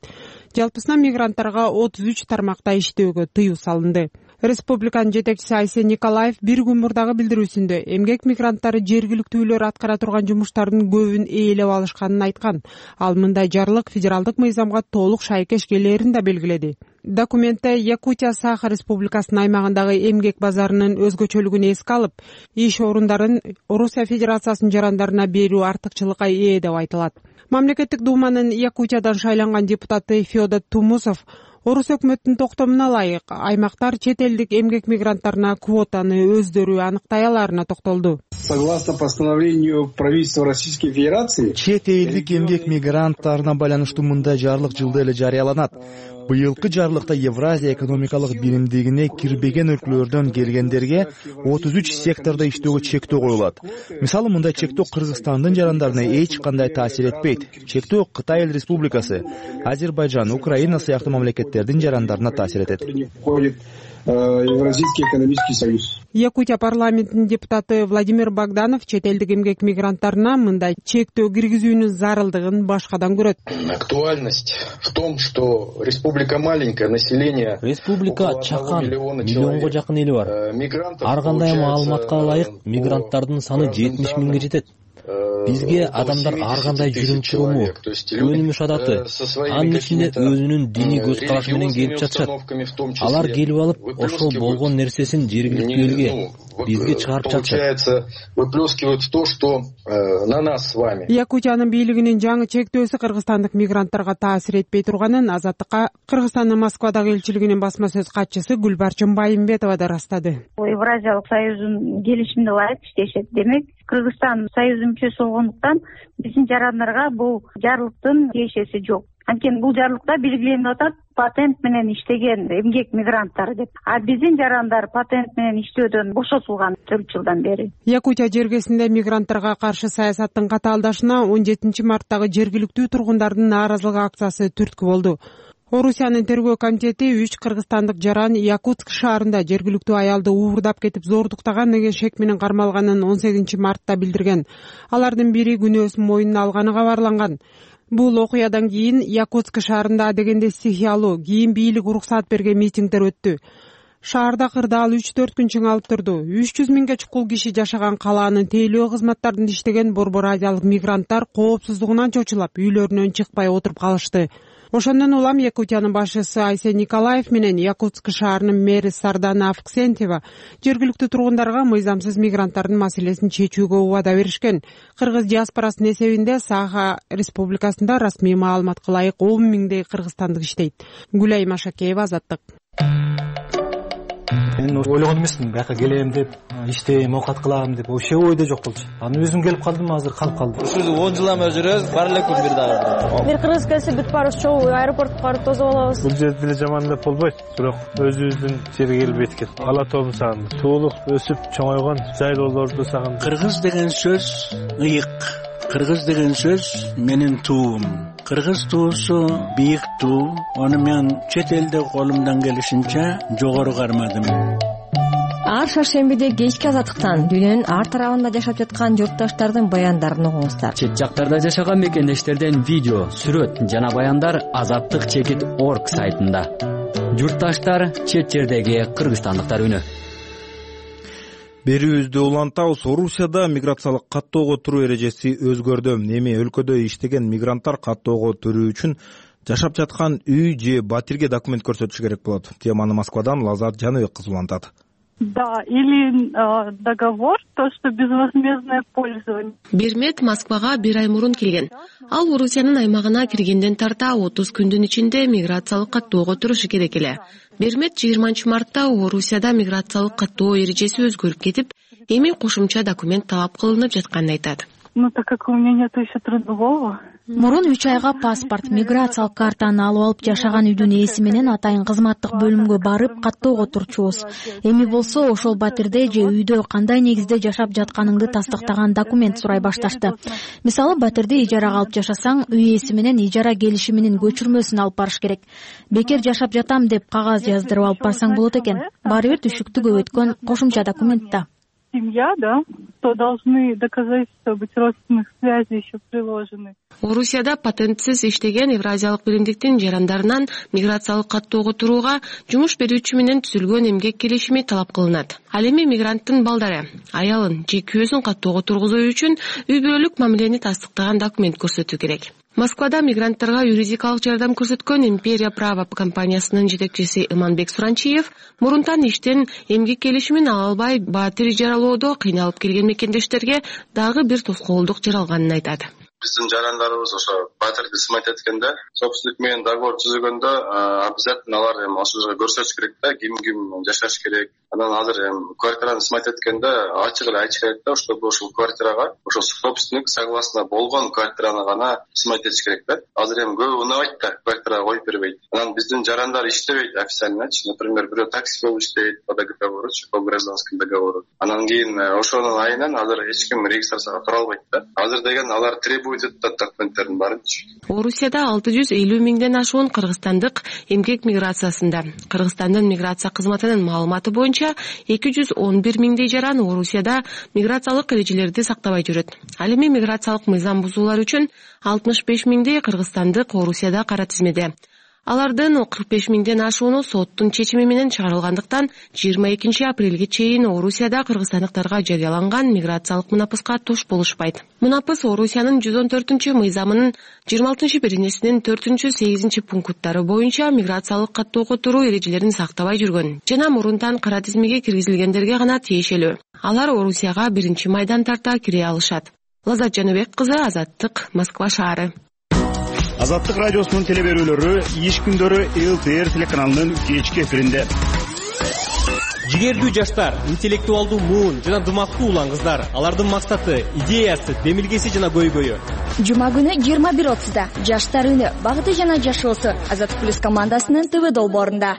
Жалпысынан мигранттарга отуз үч тармакта иштөөгө тыюу салынды. Республиканын жетекчиси Айсен Николаев бир күн мурдагы билдирүүсүндө эмгек мигранттары жергиликтүүлөр аткара турган жумуштардын көбүн ээлеп алышканын айткан. Ал мындай жарлык федералдык мыйзамга толук шайкеш келээрин да белгиледи. Документте Якутия Саха Республикасынын аймагындагы эмгек базарынын өзгөчөлүгүн эске алып, иш орундарын Орусия Федерациясынын жарандарына берүү артыкчылыкка ээ деп айтылат. Мамлекеттик думанын Якутиядан шайланган депутаты Федор Тумусов Орус өкмөттүнүн токтомуна ылайык аймактар чет элдик эмгек мигранттарына квотаны өздөрү аныктай аларына токтолду. Согласно постановлению правительства Российской Федерации, чет элдик эмгек мигранттарына байланыштуу мындай жарлык жылда эле жарыяланат. Быйылкы жарлыкта Евразия экономикалык биримдигине кирбеген өлкөлөрдөн келгендерге отуз үч сектордо иштөөгө чектөө коюлат. Мисалы, мындай чектөө Кыргызстандын жарандарына эч кандай таасир этпейт. Чектөө Кытай Эл Республикасы, Азербайжан, Украина сыяктуу мамлекеттердин жарандарына таасир этет. Евразийский экономический союз. Якутия парламентинин депутаты Владимир Богданов чет элдик эмгек мигранттарына мындай чектөө киргизүүнүн зарылдыгын башкадан көрөт. Актуальность в том, что республика маленькая, население республика чакан, миллионго жакын эли бар. Ар кандай маалыматка ылайык мигранттардын саны жетимиш миңге жетет. Бизге адамдар ар кандай жүрүм туруму, өнүмүш адаты, анын ичинде өзүнүн диний көз карашы менен келип жатышат. Алар келип алып, ошол болгон нерсесин жергиликтүү элге, бизге чыгарып жатышат. Выплескивают то, что на нас с вами. Якутиянын бийлигинин жаңы чектөөсү кыргызстандык мигранттарга таасир этпей турганын Азаттыкка Кыргызстандын Москвадагы элчилигинин басма сөз катчысы Гүлбарчын Байымбетова да ырастады. Евразиялык союздун келишимине ылайык иштешет. Демек, Кыргызстан союздун мүчөсү болгондуктан биздин жарандарга бул жарлыктын тиешеси жок. Анткени бул жарлыкта белгиленип атат патент менен иштеген эмгек мигранттар деп. А биздин жарандар патент менен иштөөдөн бошотулган төрт жылдан бери. Якутия жергесинде мигранттарга каршы саясаттын катаалдашына он жетинчи марттагы жергиликтүү тургундардын нааразылык акциясы түрткү болду. Орусиянын тергөө комитети үч кыргызстандык жаран Якутск шаарында жергиликтүү аялды уурдап кетип зордуктаган деген шек менен кармалганын он сегизинчи мартта билдирген. Алардын бири күнөөсүн мойнуна алганы кабарланган. Бул окуядан кийин Якутск шаарында адегенде стихиялуу кийин бийлик уруксаат берген митингдер өттү. Шаарда кырдаал үч төрт күн чыңалып турду. үч жүз миңге чукул киши жашаган калаанын тейлөө кызматтарында иштеген борбор азиялык мигранттар коопсуздугунан чочулап үйлөрүнөн чыкпай отуруп калышты. Ошондон улам Якутиянын башчысы Айсен Николаев менен Якутск шаарынын мэри Сардана Авксентьева жергиликтүү тургундарга мыйзамсыз мигранттардын маселесин чечүүгө убада беришкен. Кыргыз диаспорасынын эсебинде Саха Республикасында расмий маалыматка ылайык он миңдей кыргызстандык иштейт. Гүлай Машакеева, Азаттык. Мен ойлогон эмесмин, бияка келем деп, иштейм, оокат кылам деп, вообще ойдо жок болчу. Аны өзүм келип калдым, азыр калып калдым. Ушул он жыл эме жүрөбүз, бар эле күн бир дагы. Бир кыргыз келсе бүт барыбыз чогуу аэропортко барып тосуп алабыз. Бул жерде деле жаман деп болбойт, бирок өзүбүздүн жерге келип эткет. Ала тообун сагындым. Туулук, өсүп чоңойгон жайлоолорду сагындым. Кыргыз деген сөз ыйык. Кыргыз деген сөз менин туум. Кыргыз туусу бийик туу. Аны мен чет элде колумдан келишинче жогору кармадым. Ар шаршембиде кечки Азаттыктан дүйнөнүн ар тарабында жашап жаткан журтташтардын баяндарын угуңуздар. Чет жактарда жашаган мекендештерден видео, сүрөт жана баяндар азаттык чекит орг сайтында. Журтташтар, чет жердеги кыргызстандыктар үнү. Берүүбүздү улантабыз. Орусияда миграциялык каттоого туруу эрежеси өзгөрдү. Эми өлкөдө иштеген мигранттар каттоого туруу үчүн жашап жаткан үй же батирге документ көрсөтүшү керек болот. Теманы Москвадан Лазат Жаныбек кызы улантат. Да, или э, договор, то, что безвозмездное пользование. Бермет Москвага бир ай мурун келген. Ал Орусиянын аймагына киргенден тарта отуз күндүн ичинде миграциялык каттоого турушу керек эле. Бермет жыйырманчы мартта Орусияда миграциялык каттоо эрежеси өзгөрүп кетип, эми кошумча документ талап кылынып жатканын айтат. Ну, так как у меня нету еще трудового. Мурун үч айга паспорт, миграциялык картаны алып алып жашаган үйдүн ээси менен атайын кызматтык бөлүмгө барып каттоого турчубуз. Эми болсо ошол батирде же үйдө кандай негизде жашап жатканыңды тастыктаган документ сурай башташты. Мисалы, батирди ижарага алып жашасаң, үй ээси менен ижара келишиминин көчүрмөсүн алып барыш керек. Бекер жашап жатам деп кагаз жаздырып алып барсаң болот экен. Баары бир түшүктү көп өткөн кошумча документ да. Семья, да, то должны доказательства быть родственных связей еще приложены. Орусияда патентсиз иштеген Евразиялык биримдиктин жарандарынан миграциялык каттоого турууга жумуш берүүчү менен түзүлгөн эмгек келишими талап кылынат. Ал эми мигранттын балдары, аялын же күйөөсүн каттоого тургузуу үчүн үй бүлөлүк мамилени тастыктаган документ көрсөтүү керек. Москвада мигранттарга юридикалык жардам көрсөткөн Империя Право компаниясынын жетекчиси Иманбек Суранчиев мурунтан иштен эмгек келишимин ала албай батир ижаралоодо кыйналып келген мекендештерге дагы бир тоскоолдук жаралганын айтат. Биздин жарандарыбыз ошо батирди сымайт эткенде, собственник менен договор түзгөндө обязательно алар эми ошол жерге көрсөтүш керек да, ким ким жашаш керек. Анан азыр эми квартираны сымайт эткенде ачык эле айтыш керек да, чтобы ошол квартирага ошол собственник согласно болгон квартираны гана сымайт этиш керек да. Азыр эми көбү унабайт да, квартирага коюп бербейт. Анан биздин жарандар иштебейт официальночи, например, бирөө такси болуп иштейт по договору, по гражданскому договору. Анан кийин ошонун айынан азыр эч ким регистрацияга тура албайт да. Азыр деген алар требует документтердин баарынчы. Орусияда алты жүз элүү миңден ашуун кыргызстандык эмгек миграциясында. Кыргызстандын миграция кызматынын маалыматы боюнча эки жүз он бир миңдей жаран Орусияда миграциялык эрежелерди сактабай жүрөт. Ал эми миграциялык мыйзам бузуулар үчүн алтымыш беш миңдей кыргызстандык Орусияда кара тизмеде. Алардын кырк беш миңден ашууну соттун чечими менен чыгарылгандыктан жыйырма экинчи апрелге чейин Орусияда кыргызстандыктарга жарыяланган миграциялык мунапыска туш болушпайт. Мунапыс Орусиянын жүз он төртүнчү мыйзамынын жыйырма алтынчы беренесинин төртүнчү сегизинчи пункттары боюнча миграциялык каттоого туруу эрежелерин сактабай жүргөн жана мурунтан кара тизмеге киргизилгендерге гана тиешелүү. Алар Орусияга биринчи майдан тарта кире алышат. Лазат Жаныбек кызы, Азаттык, Москва шаары. Азаттык радиосунун телеберүүлөрү иш күндөрү эл тэ эр телеканалынын кечки эфиринде. Жигердүү жаштар, интеллектуалдуу муун жана дымактуу улан кыздар, алардын максаты, идеясы, демилгеси жана көйгөйү. Жума күнү жыйырма бир отузда жаштар үнү, багыты жана жашоосу Азаттык плюс командасынын ТВ долбоорунда.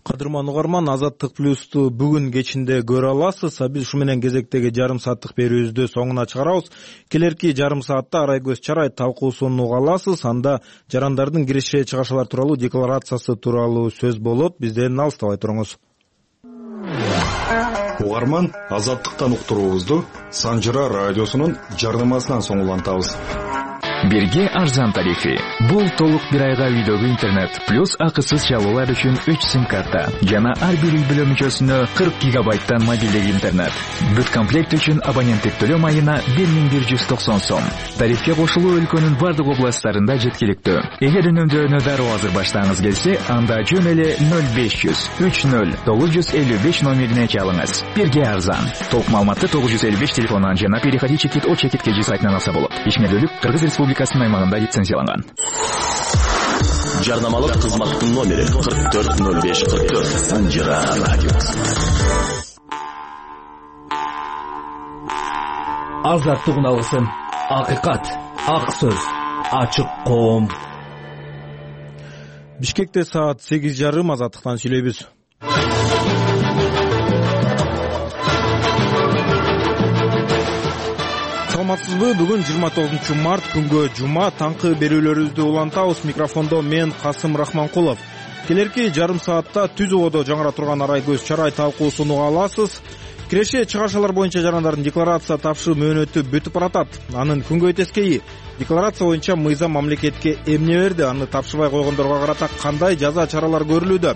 Кадырман угарман, Азаттык плюсту бүгүн кечинде көрө аласыз. Биз ушу менен кезектеги жарым сааттык берүүбүздү соңуна чыгарабыз. Келерки жарым саатта Арайкөз Чарай талкуусун уга аласыз. Анда жарандардын киреше чыгашалар тууралуу декларациясы тууралуу сөз болот. Бизден алыстабай туруңуз. Угарман, Азаттыктан уктуруубузду Санжыра радиосунун жарнамасынан соң улантабыз. Бирге арзан тарифи. Бул толук бир айга үйдөгү интернет плюс акысыз чалуулар үчүн үч сим карта жана ар бир үй бүлө мүчөсүнө кырк гигабайттан мобилдик интернет. Бүт комплект үчүн абоненттик төлөм айына бир миң бир жүз токсон сом. Тарифке кошулуу өлкөнүн бардык областтарында жеткиликтүү. Эгер үнөмдөөнү дароо азыр баштагыңыз келсе, анда жөн эле ноль беш жүз үч ноль тогуз жүз элүү беш номерине чалыңыз. Бирге арзан. Толук маалыматты тогуз жүз элүү беш телефонунан жана переходи чекит о чекит кж сайтынан алса болот. Ишмердүүлүк Кыргыз Республикасынын аймагында лицензияланган. Жарнамалык кызматтын номери кырк төрт ноль беш кырк төрт. Санжира радиосы. Азаттык уналгысы, акыйкат, ак сөз, ачык коом. Бишкекте саат сегиз жарым. Азаттыктан сүйлөйбүз. Саламатсызбы? Бүгүн жыйырма тогузунчу март күнгө жума. Таңкы берүүлөрүбүздү улантабыз. Микрофондо мен Касым Рахманкулов. Келерки жарым саатта түз ободо жаңыра турган арай көз чарай талкуусун уга аласыз. Киреше чыгарышалар боюнча жарандардын декларация тапшыруу мөөнөтү бүтүп баратат. Анын күнгөй тескейи декларация боюнча мыйзам мамлекетке эмне берди, аны тапшырбай койгондорго карата кандай жаза чаралар көрүлүүдө?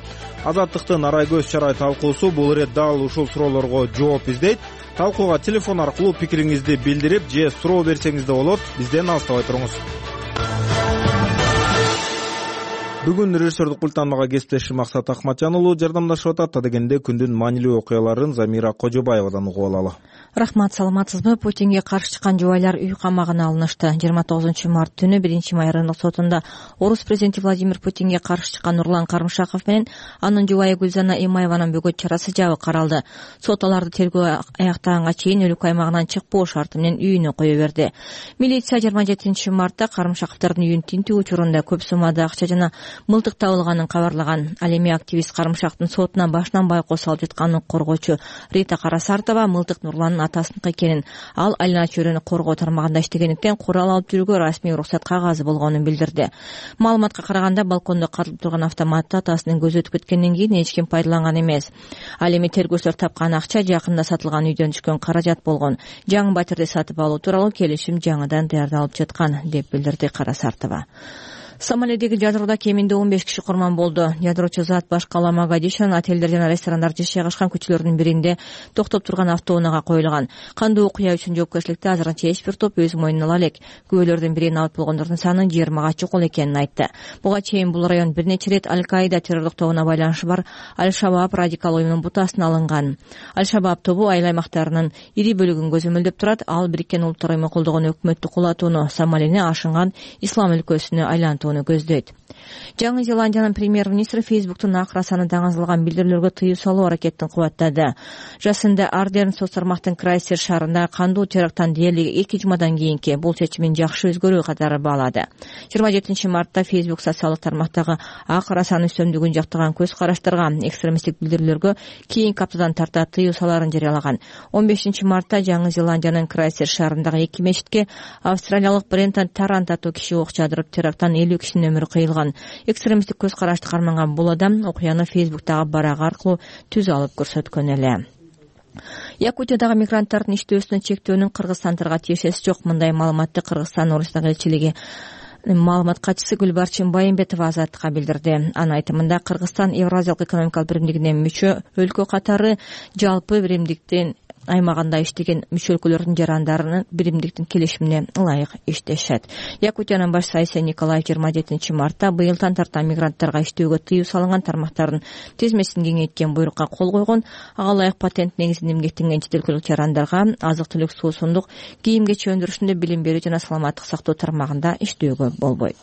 Азаттыктын арай көз чарай талкуусу бул ирет дал ушул суроолорго жооп издейт. Талкууга телефон аркылуу пикириңизди билдирип же суроо берсеңиз да болот. Бизден алыстабай туруңуз. Бүгүн режиссердик пульттан мага кесиптешим Максат Акматжан уулу жардамдашып атат. Адегенде күндүн маанилүү окуяларын Замира Кожобаевадан угуп алалы. Рахмат, саламатсызбы? Путинге каршы чыккан жубайлар үй камагына алынышты. жыйырма тогузунчу март түнү биринчи май райондук сотунда орус президенти Владимир Путинге каршы чыккан Нурлан Карымшаков менен анын жубайы Гүлзана Имаеванын бөгөт чарасы жабык каралды. Сот аларды тергөө аяктаганга чейин өлкө аймагынан чыкпоо шарты менен үйүнө кое берди. Милиция жыйырма жетинчи мартта Карымшаковдордун үйүн тинтүү учурунда көп суммада акча жана мылтык табылганын кабарлаган. Ал эми активист Карымшактын сотуна башынан байкоо салып жатканын коргоочу Рита Карасартова мылтык Нурландын атасыныкы экенин, ал айлана чөйрөнү коргоо тармагында иштегендиктен курал алып жүрүүгө расмий уруксат кагазы болгонун билдирди. Маалыматка караганда балкондо катылып турган автоматты атасынын көзү өтүп кеткенден кийин эч ким пайдаланган эмес. Ал эми тергөөчүлөр тапкан акча жакында сатылган үйдөн түшкөн каражат болгон. Жаңы батирди сатып алуу тууралуу келишим жаңыдан даярдалып жаткан, деп билдирди Карасартова. Сомалидеги ядроодо кеминде он беш киши курман болду. Ядроочу зат башкала Могадишонун отелдер жана ресторандар жайгашкан көчөлөрдүн биринде токтоп турган автоунаага коюлган. Кандуу окуя үчүн жоопкерчиликти азырынча эч бир топ өз мойнуна ала элек. Күбөлөрдүн бирин алып болгондордун саны жыйырмага чукул экенин айтты. Буга чейин бул район бир нече ирет Аль-Каида террорлук тобуна байланышы бар Аль-Шабаб радикал уюмунун бутасына алынган. Аль-Шабаб тобу айыл аймактарынын ири бөлүгүн көзөмөлдөп турат. Ал Бириккен Улуттар уюму колдогон өкмөттү кулатууну, Сомалини ашынган ислам өлкөсүнө айлантууну көздөйт. Жаңы Зеландиянын премьер-министри Фейсбуктун акыр саны даңазалган билдирүүлөргө тыюу салуу аракетин кубаттады. Жасында Ардерн соц тармактын Крайстчерч шаарында кандуу теракттан дээрлик эки жумадан кийинки бул чечимин жакшы өзгөрүү катары баалады. жыйырма жетинчи мартта Фейсбук социалдык тармактагы акыр саны үстөмдүгүн жактаган көз караштарга, экстремисттик билдирүүлөргө кийинки аптадан тарта тыюу салаарын жарыялаган. он бешинчи мартта Жаңы Зеландиянын Крайстчерч шаарындагы эки мечитке австралиялык Брентон Тарант аттуу киши ок жаадырып теракттан элүү кишинин өмүрү кыйылган. Экстремисттик көз карашты карманган бул адам окуяны Фейсбуктагы барак аркылуу түз алып көрсөткөн эле. Якутиядагы мигранттардын иштөөсүнө чектөөнүн кыргызстандыктарга тиешеси жок. Мындай маалыматты Кыргызстан Орусиядагы элчилиги маалымат катчысы Гүлбарчын Байымбетова Азаттыкка билдирди. Анын айтымында Кыргызстан Евразиялык экономикалык биримдигине мүчө өлкө катары жалпы биримдиктин аймагында иштеген мүчө өлкөлөрдүн жарандарынын биримдиктин келишимине ылайык иштешет. Якутиянын баш сайысы Николаев жыйырма жетинчи мартта быйылдан тарта мигранттарга иштөөгө тыюу салынган тармактардын тизмесин кеңейткен буйрукка кол койгон. Ага ылайык патент негизинде эмгектенген чет өлкөлүк жарандарга азык-түлүк, суусундук, кийим-кечи өндүрүшүндө билим берүү жана саламаттык сактоо тармагында иштөөгө болбойт.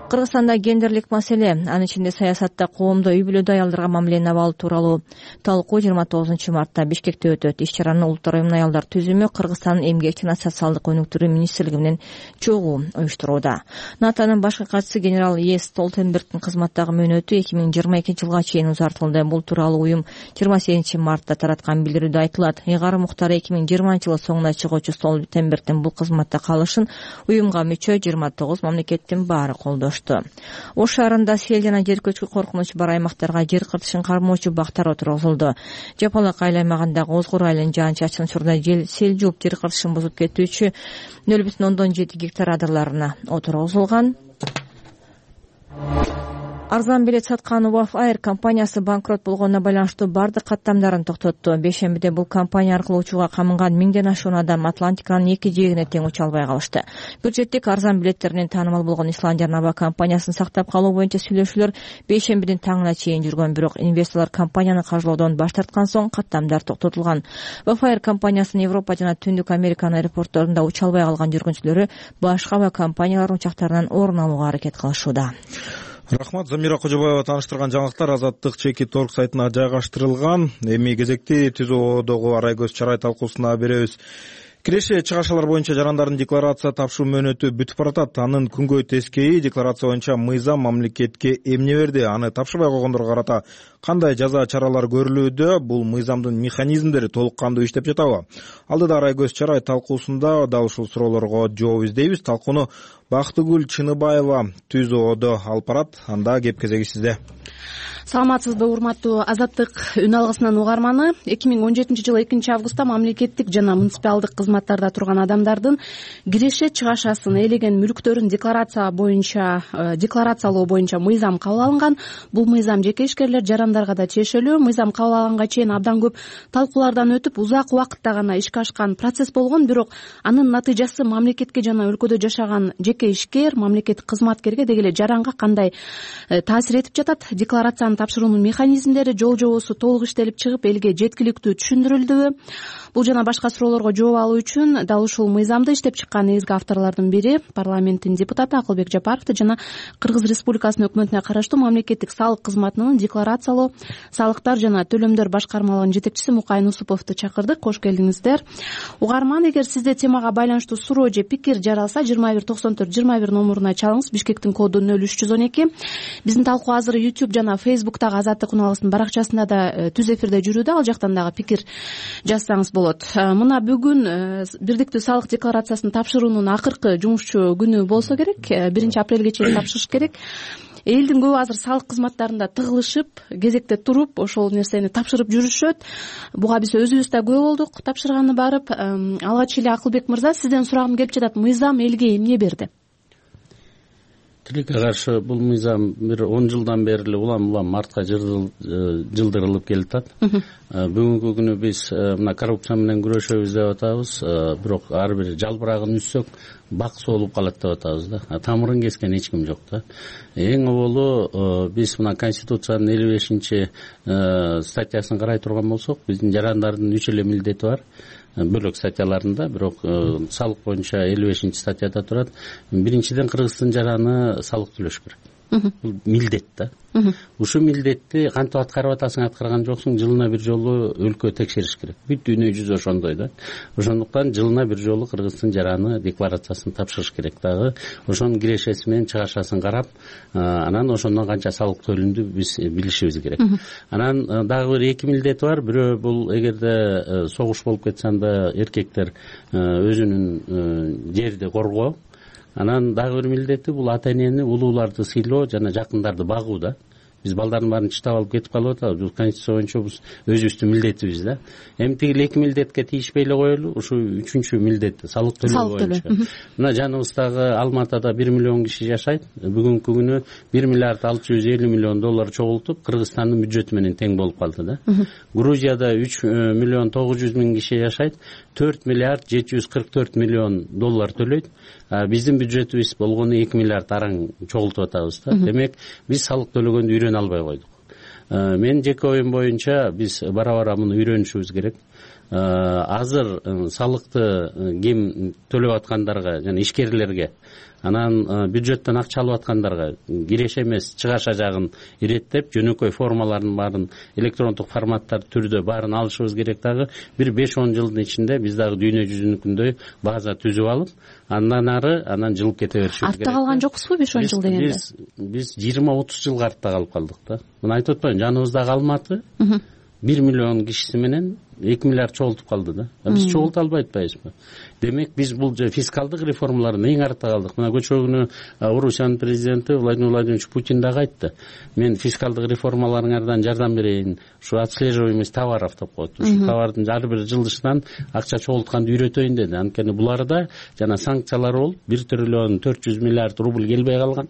Кыргызстанда гендерлик маселе, анын ичинде саясатта коомдо үй бүлөдө аялдарга мамилени абал тууралуу талкуу жыйырма тогузунчу мартта Бишкекте өтөт. Иш-чараны Улуттар уюмунун аялдар түзүмү Кыргызстандын эмгек жана социалдык өнүктүрүү министрлиги менен чогуу уюштурууда. НАТОнун башкы катчысы генерал Е. Столтенбергдин кызматтагы мөөнөтү эки миң жыйырма экинчи жылга чейин узартылды. Бул тууралуу уюм жыйырма сегизинчи мартта тараткан билдирүүдө айтылат. Ыйгарым Муктары эки миң жыйырманчы жылы соңуна чыгуучу Столтенбергдин бул кызматта калышын уюмга мүчө жыйырма тогуз мамлекеттин баары колдош. кылышты. Ош шаарында сел жана жер көчкү коркунучу бар аймактарга жер кыртышын кармоочу бактар отургузулду. Жапалак айыл аймагындагы Озгор айылын жаан-чачын учурда жел сел жууп жер кыртышын бузуп кетүүчү нөл бүтүн ондон жети гектар адырларына отургузулган. Арзан билет саткан Waf Air компаниясы банкрот болгонуна байланыштуу бардык каттамдарын токтотту. Бейшембиде бул компания аркылуу учууга камынган миңден ашуун адам Атлантиканын эки жээгине тең уча албай калышты. Бюджеттик арзан билеттеринен таанымал болгон Исландиянын аба компаниясын сактап калуу боюнча сүйлөшүүлөр бейшембидин таңына чейин жүргөн, бирок инвесторлор компанияны каржылоодон баш тарткан соң каттамдар токтотулган. Waf Air компаниясынын Европа жана Түндүк Американын аэропортторунда уча албай калган жүргүнчүлөрү башка аба компаниялардын учактарынан орун алууга аракет кылышууда. Рахмат. Замира Кожобаева тааныштырган жаңылыктар Азаттык чекит орг сайтына жайгаштырылган. Эми кезекти түзүүдөгү Арайгөз Чарай талкуусуна беребиз. Киреше чыгашалар боюнча жарандардын декларация тапшыруу мөөнөтү бүтүп баратат. Анын күнгөй тескейи декларация боюнча мыйзам мамлекетке эмне берди? Аны тапшырбай койгондорго карата кандай жаза чаралар көрүлүүдө? Бул мыйзамдын механизмдери толук кандуу иштеп жатабы? Алдыда Арайгөз Чарай талкуусунда дал ушул суроолорго жооп издейбиз. Талкууну Бактыгүл Чыныбаева түзүүдө алып барат. Анда кеп кезеги сизде. Саламатсызбы, урматтуу Азаттык үн алгысынын угарманы. эки миң он жетинчи жылы экинчи августта мамлекеттик жана муниципалдык кызматтарда турган адамдардын киреше чыгашасын, ээлеген мүлктөрүн декларация боюнча декларациялоо боюнча мыйзам кабыл алынган. Бул мыйзам жеке ишкерлер, жарандарга да чечилүү. Мыйзам кабыл алганга чейин абдан көп талкуулардан өтүп, узак убакытта гана ишке ашкан процесс болгон, бирок анын натыйжасы мамлекетке жана өлкөдө жашаган жеке ишкер, мамлекеттик кызматкерге деги эле жаранга кандай таасир этип жатат? Декларацияны тапшыруунун механизмдери, жол жобосу толук иштелип чыгып, элге жеткиликтүү түшүндүрүлдүбү? Бул жана башка суроолорго жооп алуу үчүн дал ушул мыйзамды иштеп чыккан негизги авторлордун бири парламенттин депутаты Акылбек Жапаровду жана Кыргыз Республикасынын өкмөтүнө караштуу мамлекеттик салык кызматынын декларациялоо, салыктар жана төлөмдөр башкармалыгынын жетекчиси Мукайын Усуповду чакырдык. Кош келдиңиздер. Угарман, эгер сизде темага байланыштуу суроо же пикир жаралса, жыйырма бир токсон төрт жыйырма бир номуруна чалыңыз. Бишкектин коду нөл үч жүз он эки. Биздин талкуу азыр YouTube жана Facebook'тагы Азаттык үн алгысынын баракчасында да түз эфирде жүрүүдө. Ал жактан дагы пикир жазсаңыз болот. Мына бүгүн бирдиктүү салык декларациясын тапшыруунун акыркы жумушчу күнү болсо керек. биринчи апрелге чейин тапшырыш керек. Элдин көбү азыр салык кызматтарында тыгылышып, кезекте туруп, ошол нерсени тапшырып жүрүшөт. Буга биз өзүбүз да күбө болдук, тапшырганды барып. Алгач эле Акылбек мырза, сизден сурагым келип жатат. Мыйзам элге эмне берди? Тилекке каршы бул мыйзам бир он жылдан бери эле улам улам артка жылдырылып келатат. Бүгүнкү күнү биз мына коррупция менен күрөшөбүз деп атабыз, бирок ар бир жалбырагын үссөк бак соолуп калат деп атабыз да. Тамырын кескен эч ким жок да. Эң оболу биз мына Конституциянын элүү бешинчи статьясын карай турган болсок, биздин жарандардын үч эле милдети бар. Бөлөк статьяларында, бирок салык боюнча элүү бешинчи статьяда турат. Биринчиден, кыргыздын жараны салык төлөш керек. Бул милдет да. Ушул милдетти кантип аткарып атасың, аткарган жоксуң, жылына бир жолу өлкө текшериш керек. Бүт дүйнө жүзү ошондой да. Ошондуктан жылына бир жолу кыргыздын жараны декларациясын тапшырыш керек дагы. Ошонун кирешеси менен чыгашасын карап, анан ошондон канча салык төлөндү биз билишибиз керек. Анан дагы бир эки милдети бар. Бирөө бул эгерде согуш болуп кетсе, анда эркектер өзүнүн жерди коргоо. Анан дагы бир милдети бул ата энени, улууларды сыйлоо жана жакындарды багуу да. Биз балдардын баарын чытап алып кетип калып атабыз. Бул Конституция боюнча биз өзүбүздүн милдетибиз да. Эми тигил эки милдетке тийишпей эле коелу. Ушу үчүнчү милдет салык төлөө боюнча. Мына жаныбыздагы Алматада бир миллион киши жашайт. Бүгүнкү күнү бир миллиард алты жүз элүү миллион доллар чогултуп, Кыргызстандын бюджети менен тең болуп калды да. Грузияда үч миллион тогуз жүз миң киши жашайт. төрт миллиард жети жүз кырк төрт миллион доллар төлөйт. Биздин бюджетибиз болгону эки миллиард араң чогултуп атабыз да. Демек, биз салык төлөгөндү үйрөнө албай койдук. Мен жеке оюм боюнча биз бара-бара муну үйрөнүшүбүз керек. Азыр салыкты ким төлөп аткандарга жана ишкерлерге, анан бюджеттен акча алып аткандарга киреше эмес чыгаша жагын иреттеп, жөнөкөй формаларын баарын электрондук форматтар түрдө баарын алышыбыз керек дагы. Бир беш он жылдын ичинде биз дагы дүйнө жүзүнүкүндөй база түзүп алып, андан ары анан жылып кете беришибиз керек. Артта калган жокпузбу беш он жыл дегенде? Биз биз жыйырма отуз жылга артта калып калдык да. Мына айтып атпаймынбы, жаныбыздагы Алматы бир миллион кишиси менен эки миллиард чогултуп калды да. Биз чогулта албай атпайбызбы? Демек биз бул фискалдык реформалардан эң артта калдык. Мына көчө күнү Орусиянын президенти Владимир Владимирович Путин дагы айтты. Мен фискалдык реформаларыңардан жардам берейин. Ушу отслеживаемость товаров деп коет. Ушу товардын ар бир жылдышынан акча чогултканды үйрөтөйүн деди. Анткени буларда жана санкциялар болуп бир триллион төрт жүз миллиард рубль келбей калган.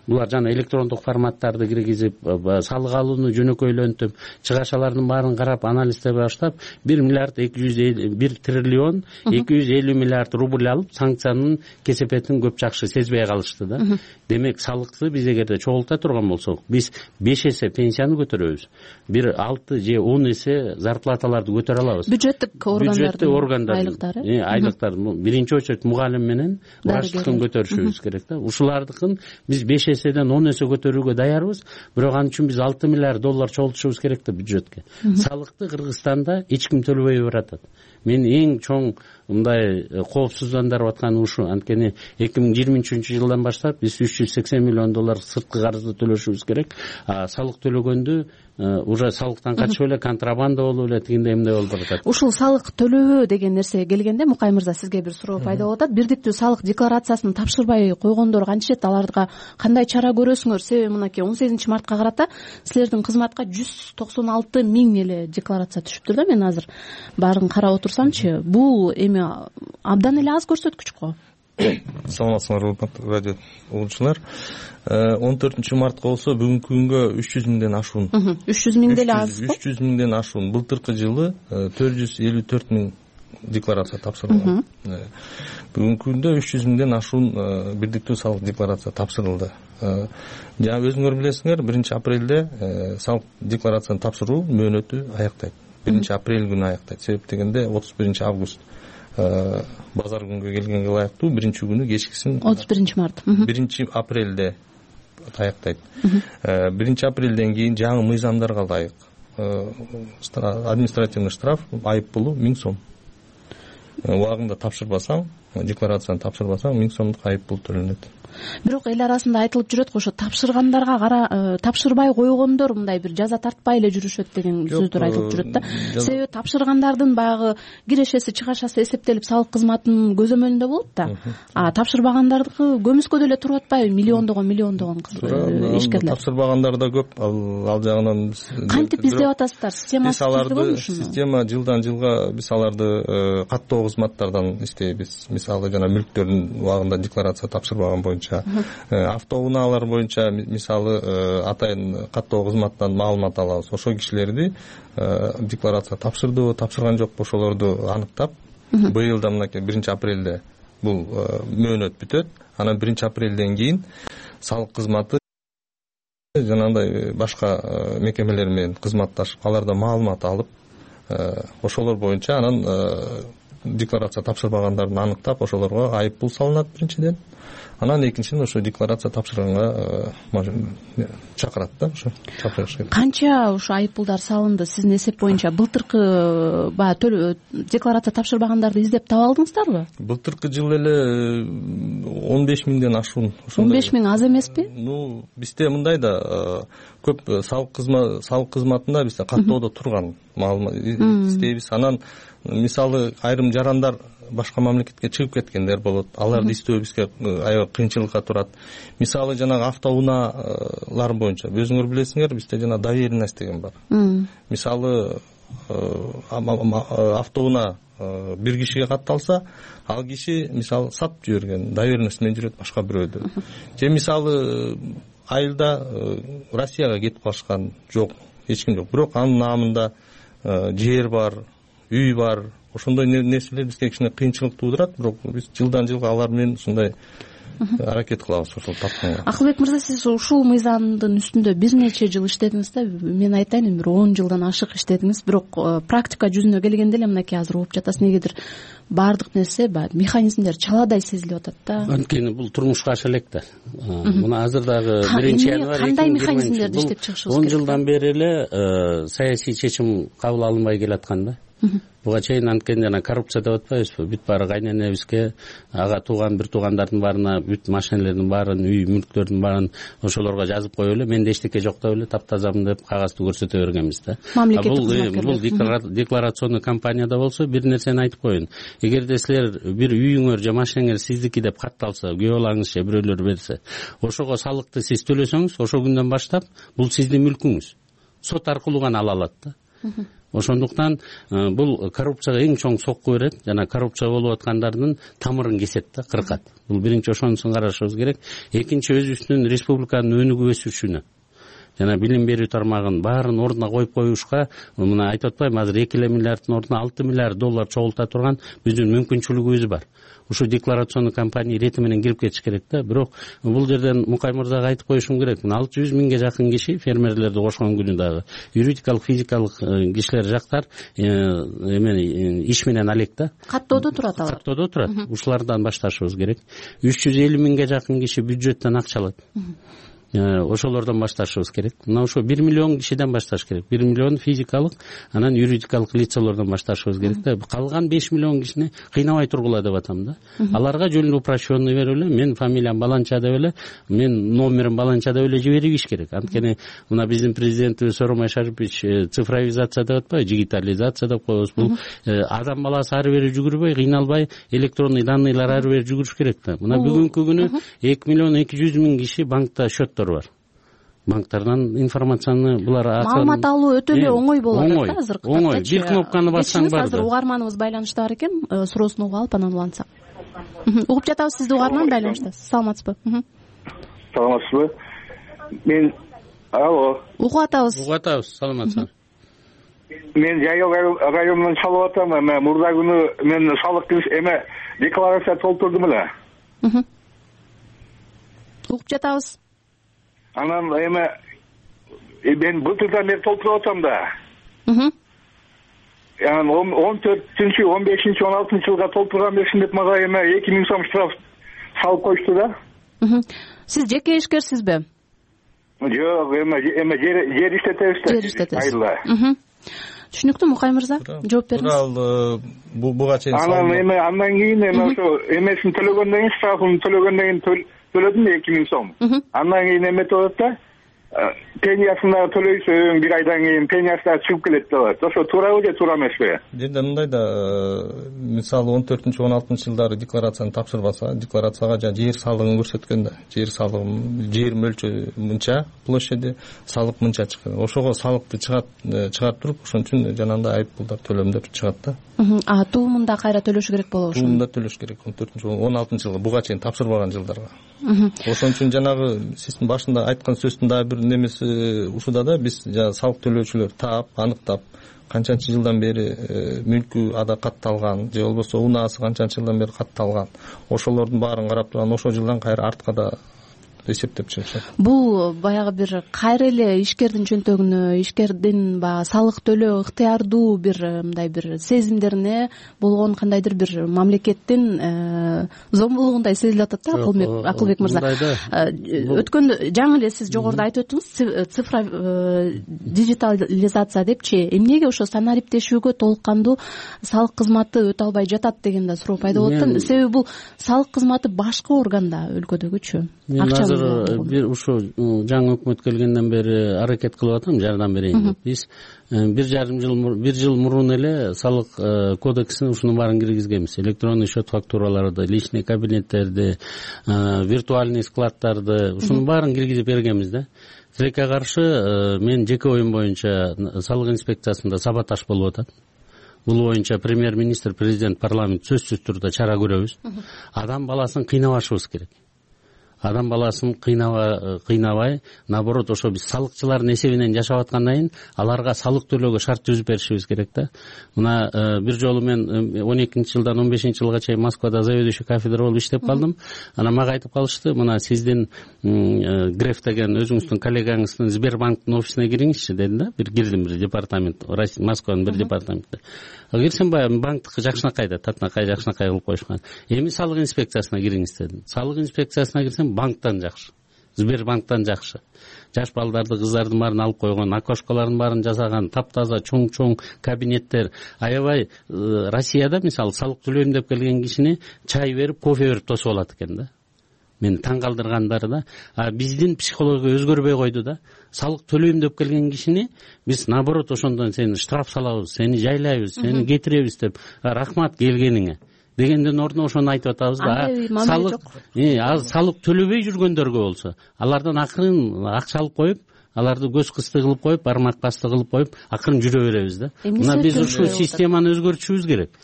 Булар жана электрондук форматтарды киргизип, салык алууну жөнөкөйлөнтүп, чыгашалардын баарын карап, анализдей баштап, бир миллиард эки жүз бир триллион эки жүз элүү миллиард рубль алып, санкциянын кесепетин көп жакшы сезбей калышты да. Демек салыкты биз эгерде чогулта турган болсок, биз беш эсе пенсияны көтөрөбүз. Бир алты же он эсе зарплаталарды көтөрө алабыз. Бюджеттик органдардын бюджеттик органдардын айлыктары, айлыктар биринчи очередь мугалим менен врачтыктын көтөрүшүбүз керек да. Ушулардыкын биз беш эседен он эсе көтөрүүгө даярбыз. Бирок ал үчүн биз алты миллиард доллар чогултушубуз керек да бюджетке. Салыкты Кыргызстанда эч ким төлөбөй баратат. Мен эң чоң мындай коопсуздандырып атканы ушу. Анткени эки миң жыйырма үчүнчү жылдан баштап биз үч жүз сексен миллион доллар сырткы карызды төлөшүбүз керек. Салык төлөгөндү уже салыктан качып эле контрабанда болуп эле тигиндей эмне болуп баратат. Ушул салык төлөбөө деген нерсеге келгенде Мукай мырза, сизге бир суроо пайда болуп атат. Бирдиктүү салык декларациясын тапшырбай койгондор кантишет? Аларга кандай чара көрөсүңөр? Себеби мынакей он сегизинчи мартка карата силердин кызматка жүз токсон алты миң эле декларация түшүптүр да. Мен азыр баарын карап отурсамчы, бул эми абдан эле аз көрсөткүч го. Саламатсыңарбы, урматтуу радио угуучулар. он төртүнчү мартка болсо бүгүнкү күнгө үч жүз миңден ашуун. үч жүз миң деле аз. үч жүз миңден ашуун. Былтыркы жылы төрт жүз элүү төрт миң декларация тапшырылган. Бүгүнкү күндө үч жүз миңден ашуун бирдиктүү салык декларация тапшырылды. Жана өзүңөр билесиңер, биринчи апрелде салык декларацияны тапшыруу мөөнөтү аяктайт. биринчи апрель күнү аяктайт. Себеп дегенде отуз биринчи август базар күнгө келгенге ылайыктуу биринчи күнү кечкисин отуз биринчи март. биринчи апрелде аяктайт. биринчи апрелден кийин жаңы мыйзамдарга ылайык административный штраф, айып пулу миң сом. Убагында тапшырбасаң, декларацияны тапшырбасаң, миң сомдук айып пул төлөнөт. Бирок эл арасында айтылып жүрөт го, ошо тапшыргандарга кара тапшырбай койгондор мындай бир жаза тартпай эле жүрүшөт деген сөздөр айтылып жүрөт да. Себеби тапшыргандардын баягы кирешеси, чыгашасы эсептелип салык кызматынын көзөмөлүндө болот да. А тапшырбагандардыкы көмүскөдө эле туруп атпайбы? Миллиондогон миллиондогон ишкерлер. Тапшырбагандар да көп. Ал жагынан кантип издеп атасыздар? Системасы түзүлгөнбү? Система жылдан жылга биз аларды каттоо кызматтардан издейбиз. Мисалы жана мүлктөрдүн убагында декларация тапшырбаган боюнча, автоунaalар боюнча мисалы атайын каттоо кызматтан маалымат алабыз. Ошол кишилерди декларация тапшырдыбы, тапшырган жокпу, ошолорду аныктап, быйыл да мынакей биринчи апрелде бул мөөнөт бүтөт. Анан биринчи апрелден кийин салык кызматы жанагындай башка мекемелер менен кызматташып, алардан маалымат алып, ошолор боюнча анан декларация тапшырбагандарды аныктап, ошолорго айып пул салынат биринчиден. Анан экинчиден ошо декларация тапшырганга чакырат да, ошо чакырыш керек. Канча ошо айып пулдар салынды сиздин эсеп боюнча? Былтыркы баягы декларация тапшырбагандарды издеп таба алдыңыздарбы? Былтыркы жылы эле он беш миңден ашуун. он беш миң аз эмеспи? Ну, бизде мындай да көп салык кызмат салык кызматында бизде каттоодо турган маалымат издейбиз. Анан мисалы айрым жарандар башка мамлекетке чыгып кеткендер болот. Аларды издөө бизге аябай кыйынчылыкка турат. Мисалы жанагы автоунaalар боюнча өзүңөр билесиңер, бизде жана доверенность деген бар. Мисалы автоунаа бир кишиге катталса, ал киши мисалы сатып жиберген, доверенность менен жүрөт башка бирөөдө. Же мисалы айылда Россияга кетип калышкан жок, эч ким жок. Бирок анын наамында жер бар, үй бар. Ошондой нерселер бизге кичине кыйынчылык туудурат, бирок биз жылдан жылга алар менен ушундай аракет кылабыз ошол тапканга. Акылбек мырза, сиз ушул мыйзамдын үстүндө бир нече жыл иштедиңиз да. Мен айтайын, бир он жылдан ашык иштедиңиз, бирок практика жүзүнө келгенде эле мынакей азыр угуп жатасыз. Негедир баардык нерсе баягы механизмдер чаладай сезилип атат да. Анткени бул турмушка аша элек да. Муну азыр дагы биринчи январь кандай механизмдерди иштеп чыгышыбыз керек? он жылдан бери эле саясий чечим кабыл алынбай келаткан да. буга чейин анткени жана коррупция деп атпайбызбы, бүт баары кайненебизге, ага тууган бир туугандардын баарына бүт машинелердин баарын, үй мүлктөрдүн баарын ошолорго жазып коюп эле менде эчтеке жок деп эле таптазамын деп кагазды көрсөтө бергенбиз да. Бул декларационный кампанияда болсо бир нерсени айтып коеюн. Эгерде силер бир үйүңөр же машинеңер сиздики деп катталса, күйөө балаңыз же бирөөлөр берсе, ошого салыкты сиз төлөсөңүз, ошол күндөн баштап бул сиздин мүлкүңүз. Сот аркылуу гана ала алат да. Ошондуктан бул коррупцияга эң чоң сокку берет жана коррупция болуп аткандардын тамырын кесет да, кыркат. Бул биринчи ошонусун карашыбыз керек. Экинчи, өзүбүздүн республиканын өнүгүп өсүшүнө жана билим берүү тармагын баарын ордуна коюп коюшка, мына айтып атпайбы, азыр эки эле миллиарддын ордуна алты миллиард доллар чогулта турган биздин мүмкүнчүлүгүбүз бар. Ушу декларационный кампания ирети менен кирип кетиш керек да. Бирок бул жерден Мукай мырзага айтып коюшум керек. алты жүз миңге жакын киши фермерлерди кошкон күнү дагы юридикалык, физикалык кишилер жактар эме иш менен алек да. Каттоодо турат алар. Каттоодо турат. Ушулардан башташыбыз керек. үч жүз элүү миңге жакын киши бюджеттен акча алат. Ошолордон башташыбыз керек. Мына ошо бир миллион кишиден башташ керек. бир миллион физикалык, анан юридикалык лицалардан башташыбыз керек да. Калган беш миллион кишини кыйнабай тургула деп атам да. Аларга жөн упрощенный берип эле, мен фамилиям баланча деп эле, мен номерим баланча деп эле жиберип иш керек. Анткени мына биздин президентибиз Сооронбай Шарипович цифровизация деп атпайбы, дигитализация деп коебуз. Бул адам баласы ары бери жүгүрбөй, кыйналбай, электронный данныйлар ары бери жүгүрүш керек да. Мына бүгүнкү күнү эки миллион эки жүз миң киши банкта счеттор бар. Банктардан информацияны булар маалымат алуу өтө эле оңой болуп атат да азыр. Оңой, бир кнопканы бассаң бар. Азыр угарманыбыз байланышта бар экен, суроосун угуп алып анан улантсак. Угуп жатабыз, сизди угарман байланыштасыз. Саламатсызбы? Саламатсызбы? Мен алло. Угуп атабыз. Угуп атабыз, саламатсызбы? Мен Жайыл районунан чалып атам. Эме мурда күнү мен салык эме декларация толтурдум эле. Угуп жатабыз. Анан эме мен былтырдан бери толтуруп атам да. Анан он төртүнчү, он бешинчи, он алтынчы жылга толтурган берсин деп мага эме эки миң сом штраф салып коюшту да. Сиз жеке ишкерсизби? Жок, эме эме жер иштетебиз да. Жер иштетесиз. Түшүнүктүү, Мукай мырза, жооп бериңиз. Тууралуу буга чейин анан эме андан кийин эме ошо эмесин төлөгөндөн кийин, штрафын төлөгөндөн кийин төлөдүм эки миң сом. Андан кийин эметип атат да. Пениясын дагы төлөйсүң, бир айдан кийин пениясы дагы чыгып келет деп атат. Ошо туурабы же туура эмеспи? Жерде мындай да, мисалы он төртүнчү, он алтынчы жылдары декларацияны тапшырбаса, декларацияга жана жер салыгын көрсөткөн да. Жер салыгы, жер мөлчөрү мынча, площади, салык мынча чыккан. Ошого салыкты чыгат, чыгарып туруп, ошон үчүн жанагындай айыппулдар, төлөмдөр чыгат да. А туумунда кайра төлөш керек болобу ошо? Туумунда төлөш керек. он төртүнчү, он алтынчы жылга буга чейин тапшырбаган жылдарга. Ошон үчүн жанагы сиздин башында айткан сөздүн дагы бир немеси ушуда да, биз жана салык төлөөчүлөр таап, аныктап, канчанчы жылдан бери мүлкү ада катталган же болбосо унаасы канчанчы жылдан бери катталган, ошолордун баарын карап турган, ошол жылдан кайра артка да эсептеп чыгышат. Бул баягы бир кайра эле ишкердин чөнтөгүнө, ишкердин баягы салык төлөө ыктыярдуу бир мындай бир сезимдерине болгон кандайдыр бир мамлекеттин зомбулугундай сезилип атат да, Акылбек мырза. Өткөндө жаңы эле сиз жогоруда айтып өттүңүз, цифра дижитализация депчи, эмнеге ошо санариптешүүгө толук кандуу салык кызматы өтө албай жатат деген да суроо пайда болуп атат. Себеби бул салык кызматы башка органда өлкөдөгүчү. Бир ушу жаңы өкмөт келгенден бери аракет кылып атам, жардам берейин деп. Биз бир жарым жыл, бир жыл мурун эле салык кодексине ушунун баарын киргизгенбиз. Электронный счет фактураларды, личный кабинеттерди, виртуальный складдарды, ушунун баарын киргизип бергенбиз да. Тилекке каршы мен жеке оюм боюнча салык инспекциясында саботаж болуп атат. Бул боюнча премьер-министр, президент, парламент сөзсүз түрдө чара көрөбүз. Адам баласын кыйнабашыбыз керек. Адам баласын кыйнабай, наоборот, ошо биз салыкчылардын эсебинен жашап аткандан кийин аларга салык төлөөгө шарт түзүп беришибиз керек да. Мына бир жолу мен он экинчи жылдан он бешинчи жылга чейин Москвада заведующий кафедра болуп иштеп калдым. Анан мага айтып калышты, мына сиздин Греф деген өзүңүздүн коллегаңыздын Сбербанктын офисине кириңизчи деди да. Бир кирдим, бир департамент, Москванын бир департаментине. Кирсем баягы банктыкы жакшынакай да, татынакай жакшынакай кылып коюшкан. Эми салык инспекциясына кириңиз дедим. Салык инспекциясына кирсем банктан жакшы. Сбербанктан жакшы. Жаш балдарды, кыздардын баарын алып койгон, окошкалардын баарын жасаган, таптаза чоң-чоң кабинеттер. Аябай Россияда мисалы салык төлөйм деп келген кишини чай берип, кофе берип тосуп алат экен да. Мени таң калтыргандары да, а биздин психология өзгөрбөй койду да. Салык төлөйм деп келген кишини биз наоборот ошондон сени штраф салабыз, сени жайлайбыз, сени кетиребиз деп, рахмат келгениңе дегенден ордуна ошону айтып атабыз да. Салык, салык төлөбөй жүргөндөргө болсо, алардан акырын акча алып коюп, аларды көз кысты кылып коюп, бармак басты кылып коюп, акырын жүрө беребиз да. Мына биз ушул системаны өзгөртүшүбүз керек.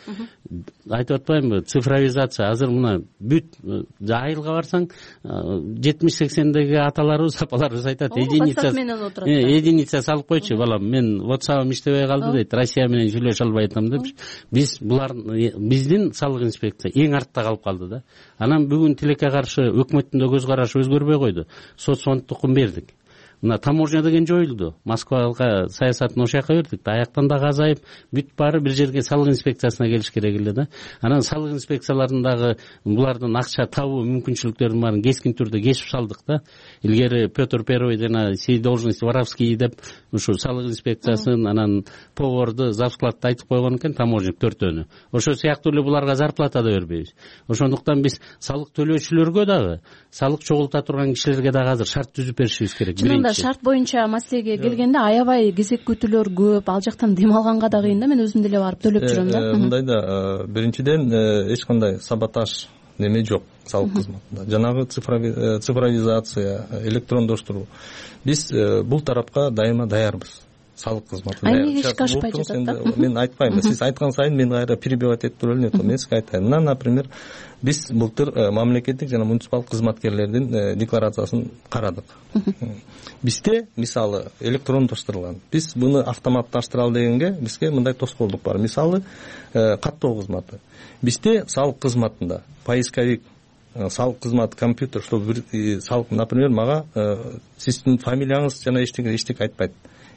Айтып атпаймынбы, цифровизация азыр мына бүт айылга барсаң, жетимиш сексендеги аталарыбыз, апаларыбыз айтат, единица единица салып койчу балам, мен WhatsApp'ым иштебей калды дейт, Россия менен сүйлөшө албай атам деп. Биз булар биздин салык инспекция эң артта калып калды да. Анан бүгүн тилекке каршы өкмөттүн да көз карашы өзгөрбөй койду. Соцфондтукун бердик. Мына таможня деген жоюлду. Москвага саясатын ошол жака бердик. Аяктан дагы азайып, бүт баары бир жерге салык инспекциясына келиш керек эле да. Анан салык инспекцияларындагы булардын акча табуу мүмкүнчүлүктөрүн баарын кескин түрдө кесип салдык да. Илгери Петр Первый жана сей должности воровские деп ушу салык инспекциясын, анан поварду, завскладты айтып койгон экен таможник төртөөнү. Ошол сыяктуу эле буларга зарплата да бербейбиз. Ошондуктан биз салык төлөөчүлөргө дагы, салык чогулта турган кишилерге дагы азыр шарт түзүп беришибиз керек. Шарт боюнча маселеге келгенде аябай кезек күтүүлөр көп, ал жактан дем алганга да кыйын да. Мен өзүм деле барып төлөп жүрөм да. Мындай да, биринчиден эч кандай саботаж неме жок салык кызматында. Жанагы цифровизация, электрондоштуруу. Биз бул тарапка дайыма даярбыз. Салык кызматы даяр. Эмнеге ишке ашпай жатат да? Мен айтпайм. Сиз айткан сайын мен кайра перебивать этип туруп элем. Мен сизге айтайын. Мына, например, биз былтыр мамлекеттик жана муниципалдык кызматкерлердин декларациясын карадык. Бизде мисалы электрондоштурулган. Биз буну автоматташтыралы дегенге бизге мындай тоскоолдук бар. Мисалы каттоо кызматы. Бизде салык кызматында поисковик, салык кызматы, компьютер, чтобы бир салык, например, мага сиздин фамилияңыз жана эчтеке эчтеке айтпайт.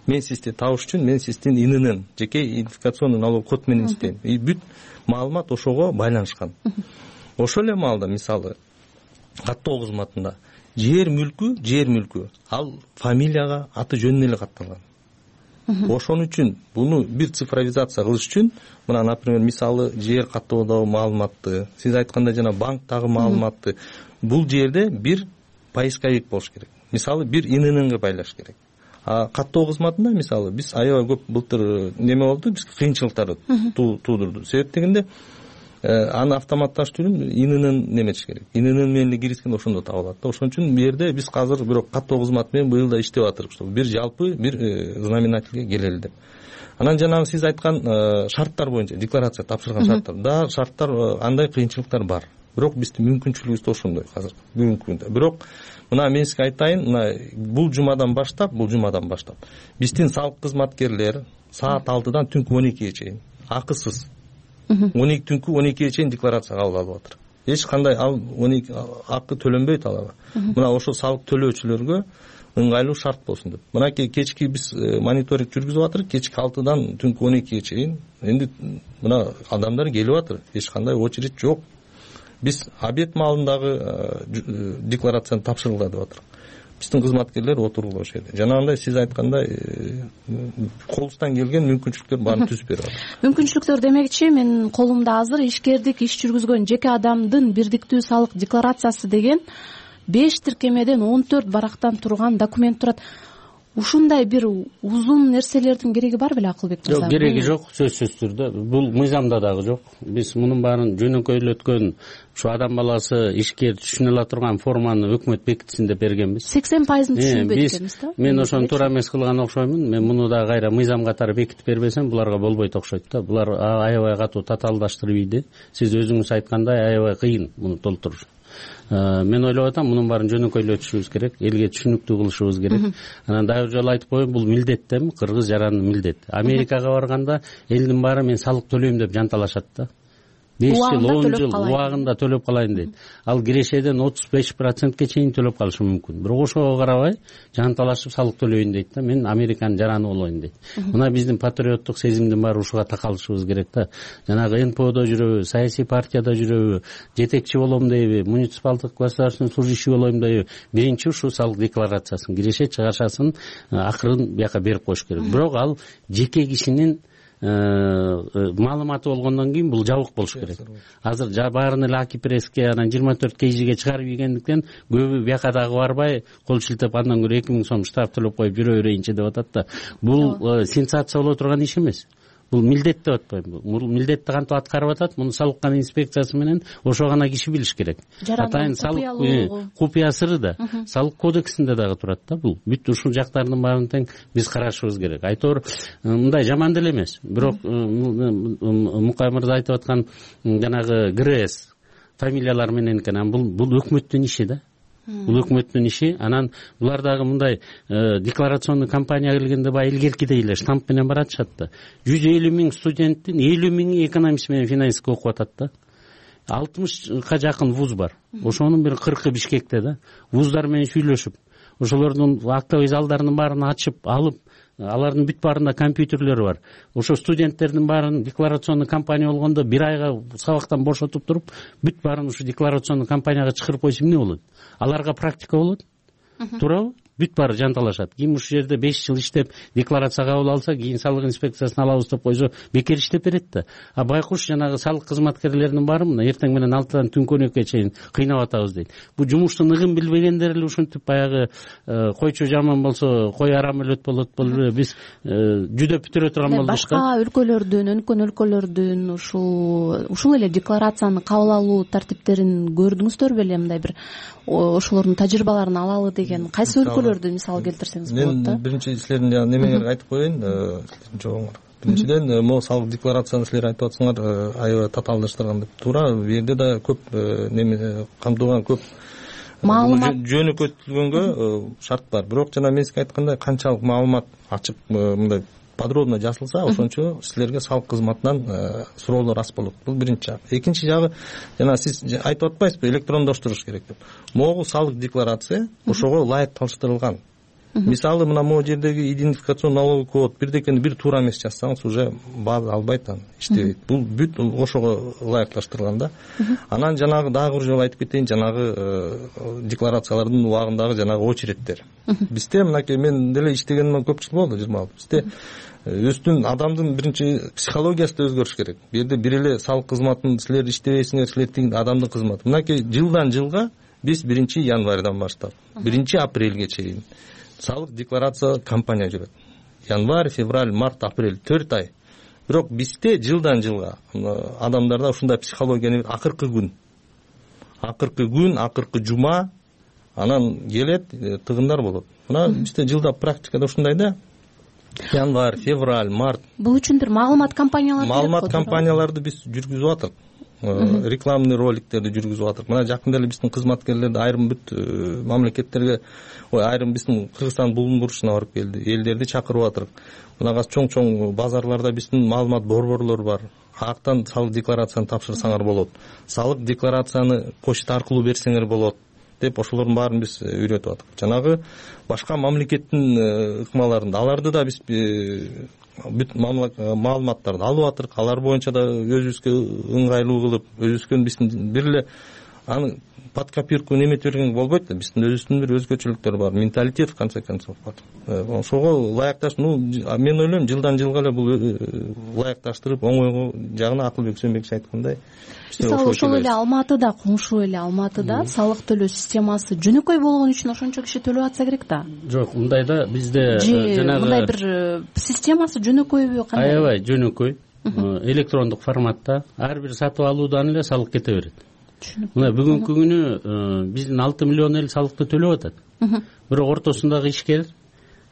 Мен сизди табыш үчүн мен сиздин ининин жеке идентификационный налог код менен издейм. И бүт маалымат ошого байланышкан. Ошол эле маалда мисалы каттоо кызматында жер мүлкү, жер мүлкү ал фамилияга, аты жөнүнө эле катталган. Ошон үчүн буну бир цифровизация кылыш үчүн мына, например, мисалы жер каттоодогу маалыматты, сиз айткандай жана банктагы маалыматты бул жерде бир поисковик болуш керек. Мисалы бир инининге байлаш керек. А каттоо кызматында мисалы биз аябай көп былтыр неме болду, биз кыйынчылыктар туудурду. Себеп дегенде аны автоматташтыруу үчүн ининин неметиш керек. Ининин менен эле киргизгенде ошондо табылат да. Ошон үчүн бу жерде биз азыр бирок каттоо кызматы менен быйыл да иштеп атырбыз, чтобы бир жалпы бир знаменательге келели деп. Анан жанагы сиз айткан шарттар боюнча, декларация тапшырган шарттар, да, шарттар андай кыйынчылыктар бар. Бирок биздин мүмкүнчүлүгүбүз да ошондой азыр бүгүнкү күндө. Бирок мына мен сизге айтайын, мына бул жумадан баштап, бул жумадан баштап биздин салык кызматкерлер саат алтыдан түнкү он экиге чейин акысыз он эки түнкү он экиге чейин декларация кабыл алып атыр. Эч кандай ал он эки акы төлөнбөйт аларга. Мына ошол салык төлөөчүлөргө ыңгайлуу шарт болсун деп. Мына кечки биз мониторинг жүргүзүп атырык, кечки алтыдан түнкү он экиге чейин. Энди мына адамдар келип атыр, эч кандай очередь жок. Биз обед маалындагы декларацияны тапшыргыла деп атырык. Биздин кызматкерлер отургула ошол жерде. Жанагындай сиз айткандай колубуздан келген мүмкүнчүлүктөр баарын түзүп берип атат. Мүмкүнчүлүктөр демекчи, менин колумда азыр ишкердик иш жүргүзгөн жеке адамдын бирдиктүү салык декларациясы деген беш тиркемеден он төрт барактан турган документ турат. Ушундай бир узун нерселердин кереги бар беле Акылбек мырза? Жок, кереги жок, сөзсүз түрдө. Бул мыйзамда дагы жок. Биз мунун баарын жөнөкөйлөткөн, ушу адам баласы ишкер түшүнө ала турган форманы өкмөт бекитсин деп бергенбиз. сексен пайызын түшүнбөйт экенбиз да? Мен ошону туура эмес кылган окшоймун. Мен муну да кайра мыйзам катары бекитип бербесем, буларга болбойт окшойт да. Булар аябай катуу татаалдаштырып ийди. Сиз өзүңүз айткандай аябай кыйын муну толтуруш. Мен ойлоп атам, мунун баарын жөнөкөйлөтүшүбүз керек, элге түшүнүктүү кылышыбыз керек. Анан дагы жолу айтып коеюн, бул милдет да, кыргыз жарандын милдети. Америкага барганда элдин баары мен салык төлөйм деп жанталашат да. беш жыл он жыл убагында төлөп калайын дейт. Ал кирешеден отуз беш процентке чейин төлөп калышы мүмкүн. Бирок ошого карабай жанталашып салык төлөйүн дейт да. Мен Американын жараны болоюн дейт. Мына биздин патриоттук сезимдин баары ушуга такалышыбыз керек да. Жанагы эн пэ одо жүрөбү, саясий партияда жүрөбү, жетекчи болом дейби, муниципалдык государственный служащий болоюм дейби, биринчи ушу салык декларациясын, киреше чыгашасын акырын бияка берип коюш керек. Бирок ал жеке кишинин маалыматы болгондон кийин бул жабык болуш керек. Азыр баарын эле аки пресске анан жыйырма төрт кейжиге чыгарып ийгендиктен көбү бияка дагы барбай кол шилтеп андан көрө эки миң сом штраф төлөп коюп жүрө берейинчи деп атат да. Бул сенсация боло турган иш эмес. Бул милдет деп атпайбы? Бул милдетти кантип аткарып атат? Муну салык кана инспекциясы менен ошо гана киши билиш керек. Атайын салык купуя сыры да салык кодексинде дагы турат да бул. Бүт ушул жактардын баарын тең биз карашыбыз керек. Айтор мындай жаман деле эмес. Бирок Мукай мырза айтып аткан жанагы ГРС фамилиялар менен экен. Бул бул өкмөттүн иши да. Бул өкмөттүн иши. Анан булар дагы мындай декларационный кампания келгенде баягы илгеркидей эле штамп менен баратышат да. жүз элүү миң студенттин элүү миңи экономист менен финансистке окуп атат да. алтымышка жакын вуз бар. Ошонун бир кыркы Бишкекте да. Вуздар менен сүйлөшүп, ошолордун актовый залдарынын баарын ачып алып, алардын бүт баарында компьютерлери бар. Ошо студенттердин баарын декларационный кампания болгондо бир айга сабактан бошотуп туруп, бүт баарын ушу декларационный кампанияга чыгарып койсо эмне болот? Аларга практика болот. Туурабы? Бүт баары жанталашат. Ким ушул жерде беш жыл иштеп декларация кабыл алса, кийин салык инспекциясына алабыз деп койсо, бекер иштеп берет да. А байкуш жанагы салык кызматкерлеринин баары мына эртең менен алтыдан түнкөнөккө чейин кыйнап атабыз дейт. Бу жумуштун ыгын билбегендер эле ушинтип баягы койчу жаман болсо кой арам өлөт болот болуп биз жүдөп бүтүрө турган болдук. Башка өлкөлөрдүн, өнүккөн өлкөлөрдүн ушул ушул эле декларацияны кабыл алуу тартиптерин көрдүңүздөр беле? Мындай бир ошолордун тажрыйбаларын алалы деген кайсы өлкөлөрдү мисал келтирсеңиз болот да? Мен биринчи силердин жана немеңерге айтып коеюн, жоогуңар. Биринчиден, могу салык декларацияны силер айтып атсаңар, аябай татаалдаштырган деп. Туура, бу жерде да көп неме камтылган, көп маалымат жөнөкөтүлгөнгө шарт бар. Бирок жана мен сизге айткандай, канчалык маалымат ачык мындай подробно жазылса, ошончо силерге салык кызматынан суроолор аз болот. Бул биринчи жагы. Экинчи жагы, жана сиз айтып атпайсызбы, электрондоштуруш керек деп. Могу салык декларация ошого ылайыкташтырылган. Мисалы, мына могу жердеги идентификацион налоговый код бирдекени бир туура эмес жазсаңыз, уже база албайт, анан иштебейт. Бул бүт ошого ылайыкташтырылган да. Анан жанагы дагы бир жолу айтып кетейин, жанагы декларациялардын убагындагы жанагы очередтер. Бизде мынакей мен деле иштегениме көп жыл болду, жыйырма алты. Бизде өзүнүн адамдын биринчи психологиясы да өзгөрүш керек. Бу жерде бир эле салык кызматын силер иштебейсиңер, силер тиги адамдын кызматы. Мынакей жылдан жылга биз биринчи январдан баштап биринчи апрелге чейин салык декларация кампания жүрөт. Январь, февраль, март, апрель төрт ай. Бирок бизде жылдан жылга адамдарда ушундай психология акыркы күн. Акыркы күн, акыркы жума анан келет, тыгындар болот. Мына бизде жылда практикада ушундай да. Январь, февраль, март. Бул үчүн бир маалымат кампаниялары маалымат кампанияларды биз жүргүзүп атат. Рекламный роликтерди жүргүзүп атат. Мына жакында эле биздин кызматкерлерди айрым бүт мамлекеттерге, ой, айрым биздин Кыргызстан булун бурчуна барып келди. Элдерди чакырып атырык. Мына чоң-чоң базарларда биздин маалымат борборлор бар. Актан салык декларацияны тапшырсаңар болот. Салык декларацияны почта аркылуу берсеңер болот деп ошолордун баарын биз үйрөтүп атык. Жанагы башка мамлекеттин ыкмаларында аларды да биз бүт маалыматтарды алып атырык. Алар боюнча да өзүбүзгө ыңгайлуу кылып, өзүбүзгө биздин бир эле аны под копирку неметип берген болбойт да. Биздин өзүбүздүн бир өзгөчөлүктөр бар, менталитет в конце концов бар. Ошого ылайыкташ, ну мен ойлойм, жылдан жылга эле бул ылайыкташтырып, оңой жагына Акылбек Сөөнбекович айткандай. Мисалы, ошол эле Алматыда, коңшу эле Алматыда салык төлөө системасы жөнөкөй болгон үчүн ошончо киши төлөп атса керек да. Жок, мындай да бизде жанагы мындай бир системасы жөнөкөйбү, кандай? Аябай жөнөкөй. Электрондук форматта ар бир сатып алуудан эле салык кете берет. Мына бүгүнкү күнү биздин алты миллион эл салыкты төлөп атат. Бирок ортосундагы ишкер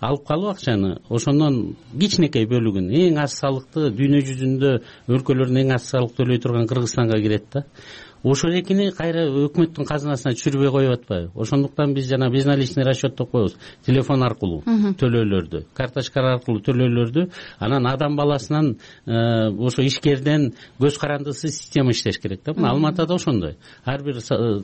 алып калып акчаны, ошондон кичинекей бөлүгүн, эң аз салыкты дүйнө жүзүндө өлкөлөрдүн эң аз салык төлөй турган Кыргызстанга кирет да. ошол экини кайра өкмөттүн казынасына түшүрбөй коюп атпайбы? Ошондуктан биз жана безналичный расчет деп коебуз, телефон аркылуу төлөөлөрдү, карточка аркылуу төлөөлөрдү, анан адам баласынан ошо ишкерден көз карандысыз система иштеш керек да. Мына Алматыда ошондой. Ар бир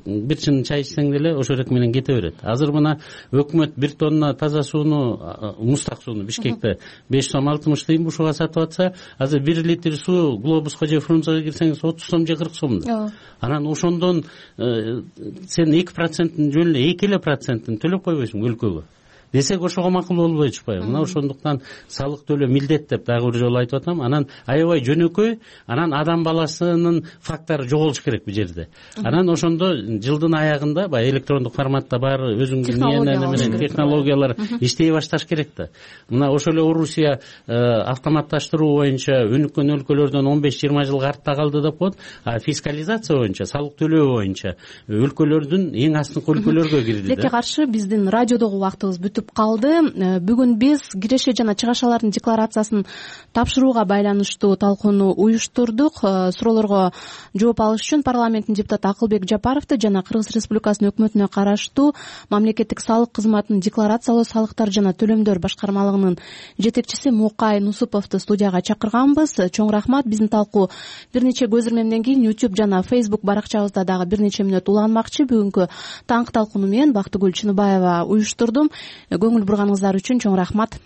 бир чын чай ичсең деле ошол эки менен кете берет. Азыр мына өкмөт бир тонна таза сууну, мустак сууну Бишкекте беш сом алтымыш тыйын бушуга сатып атса, азыр бир литр суу Глобуско же Фрунзеге кирсеңиз отуз сом же кырк сом да. Анан ошондон сен эки проценттин жөн эле эки эле проценттин төлөп койбойсуң өлкөгө десек, ошого макул болбой атышпайбы? Мына ошондуктан салык төлөө милдет деп дагы бир жолу айтып атам. Анан аябай жөнөкөй, анан адам баласынын фактору жоголуш керек бул жерде. Анан ошондо жылдын аягында баягы электрондук форматта баары өзүңдүн менен технологиялар иштей башташ керек да. Мына ошол эле Орусия автоматташтыруу боюнча өнүккөн өлкөлөрдөн он беш жыйырма жылга артта калды деп коет. А фискализация боюнча, салык төлөө боюнча өлкөлөрдүн эң астыңкы өлкөлөргө кирди да. Тилекке каршы биздин радиодогу убактыбыз бүтүп калды. Бүгүн биз киреше жана чыгашалардын декларациясын тапшырууга байланыштуу талкууну уюштурдук. Суроолорго жооп алыш үчүн парламенттин депутаты Акылбек Жапаровду жана Кыргыз Республикасынын өкмөтүнө караштуу мамлекеттик салык кызматынын декларациялоо, салыктар жана төлөмдөр башкармалыгынын жетекчиси Мукай Нусуповду студияга чакырганбыз. Чоң рахмат. Биздин талкуу бир нече көз ирмемден кийин YouTube жана Facebook баракчабызда дагы бир нече мүнөт уланмакчы. Бүгүнкү таңкы талкууну мен Бактыгүл Чыныбаева уюштурдум. Көңүл бурганыңыздар үчүн чоң рахмат.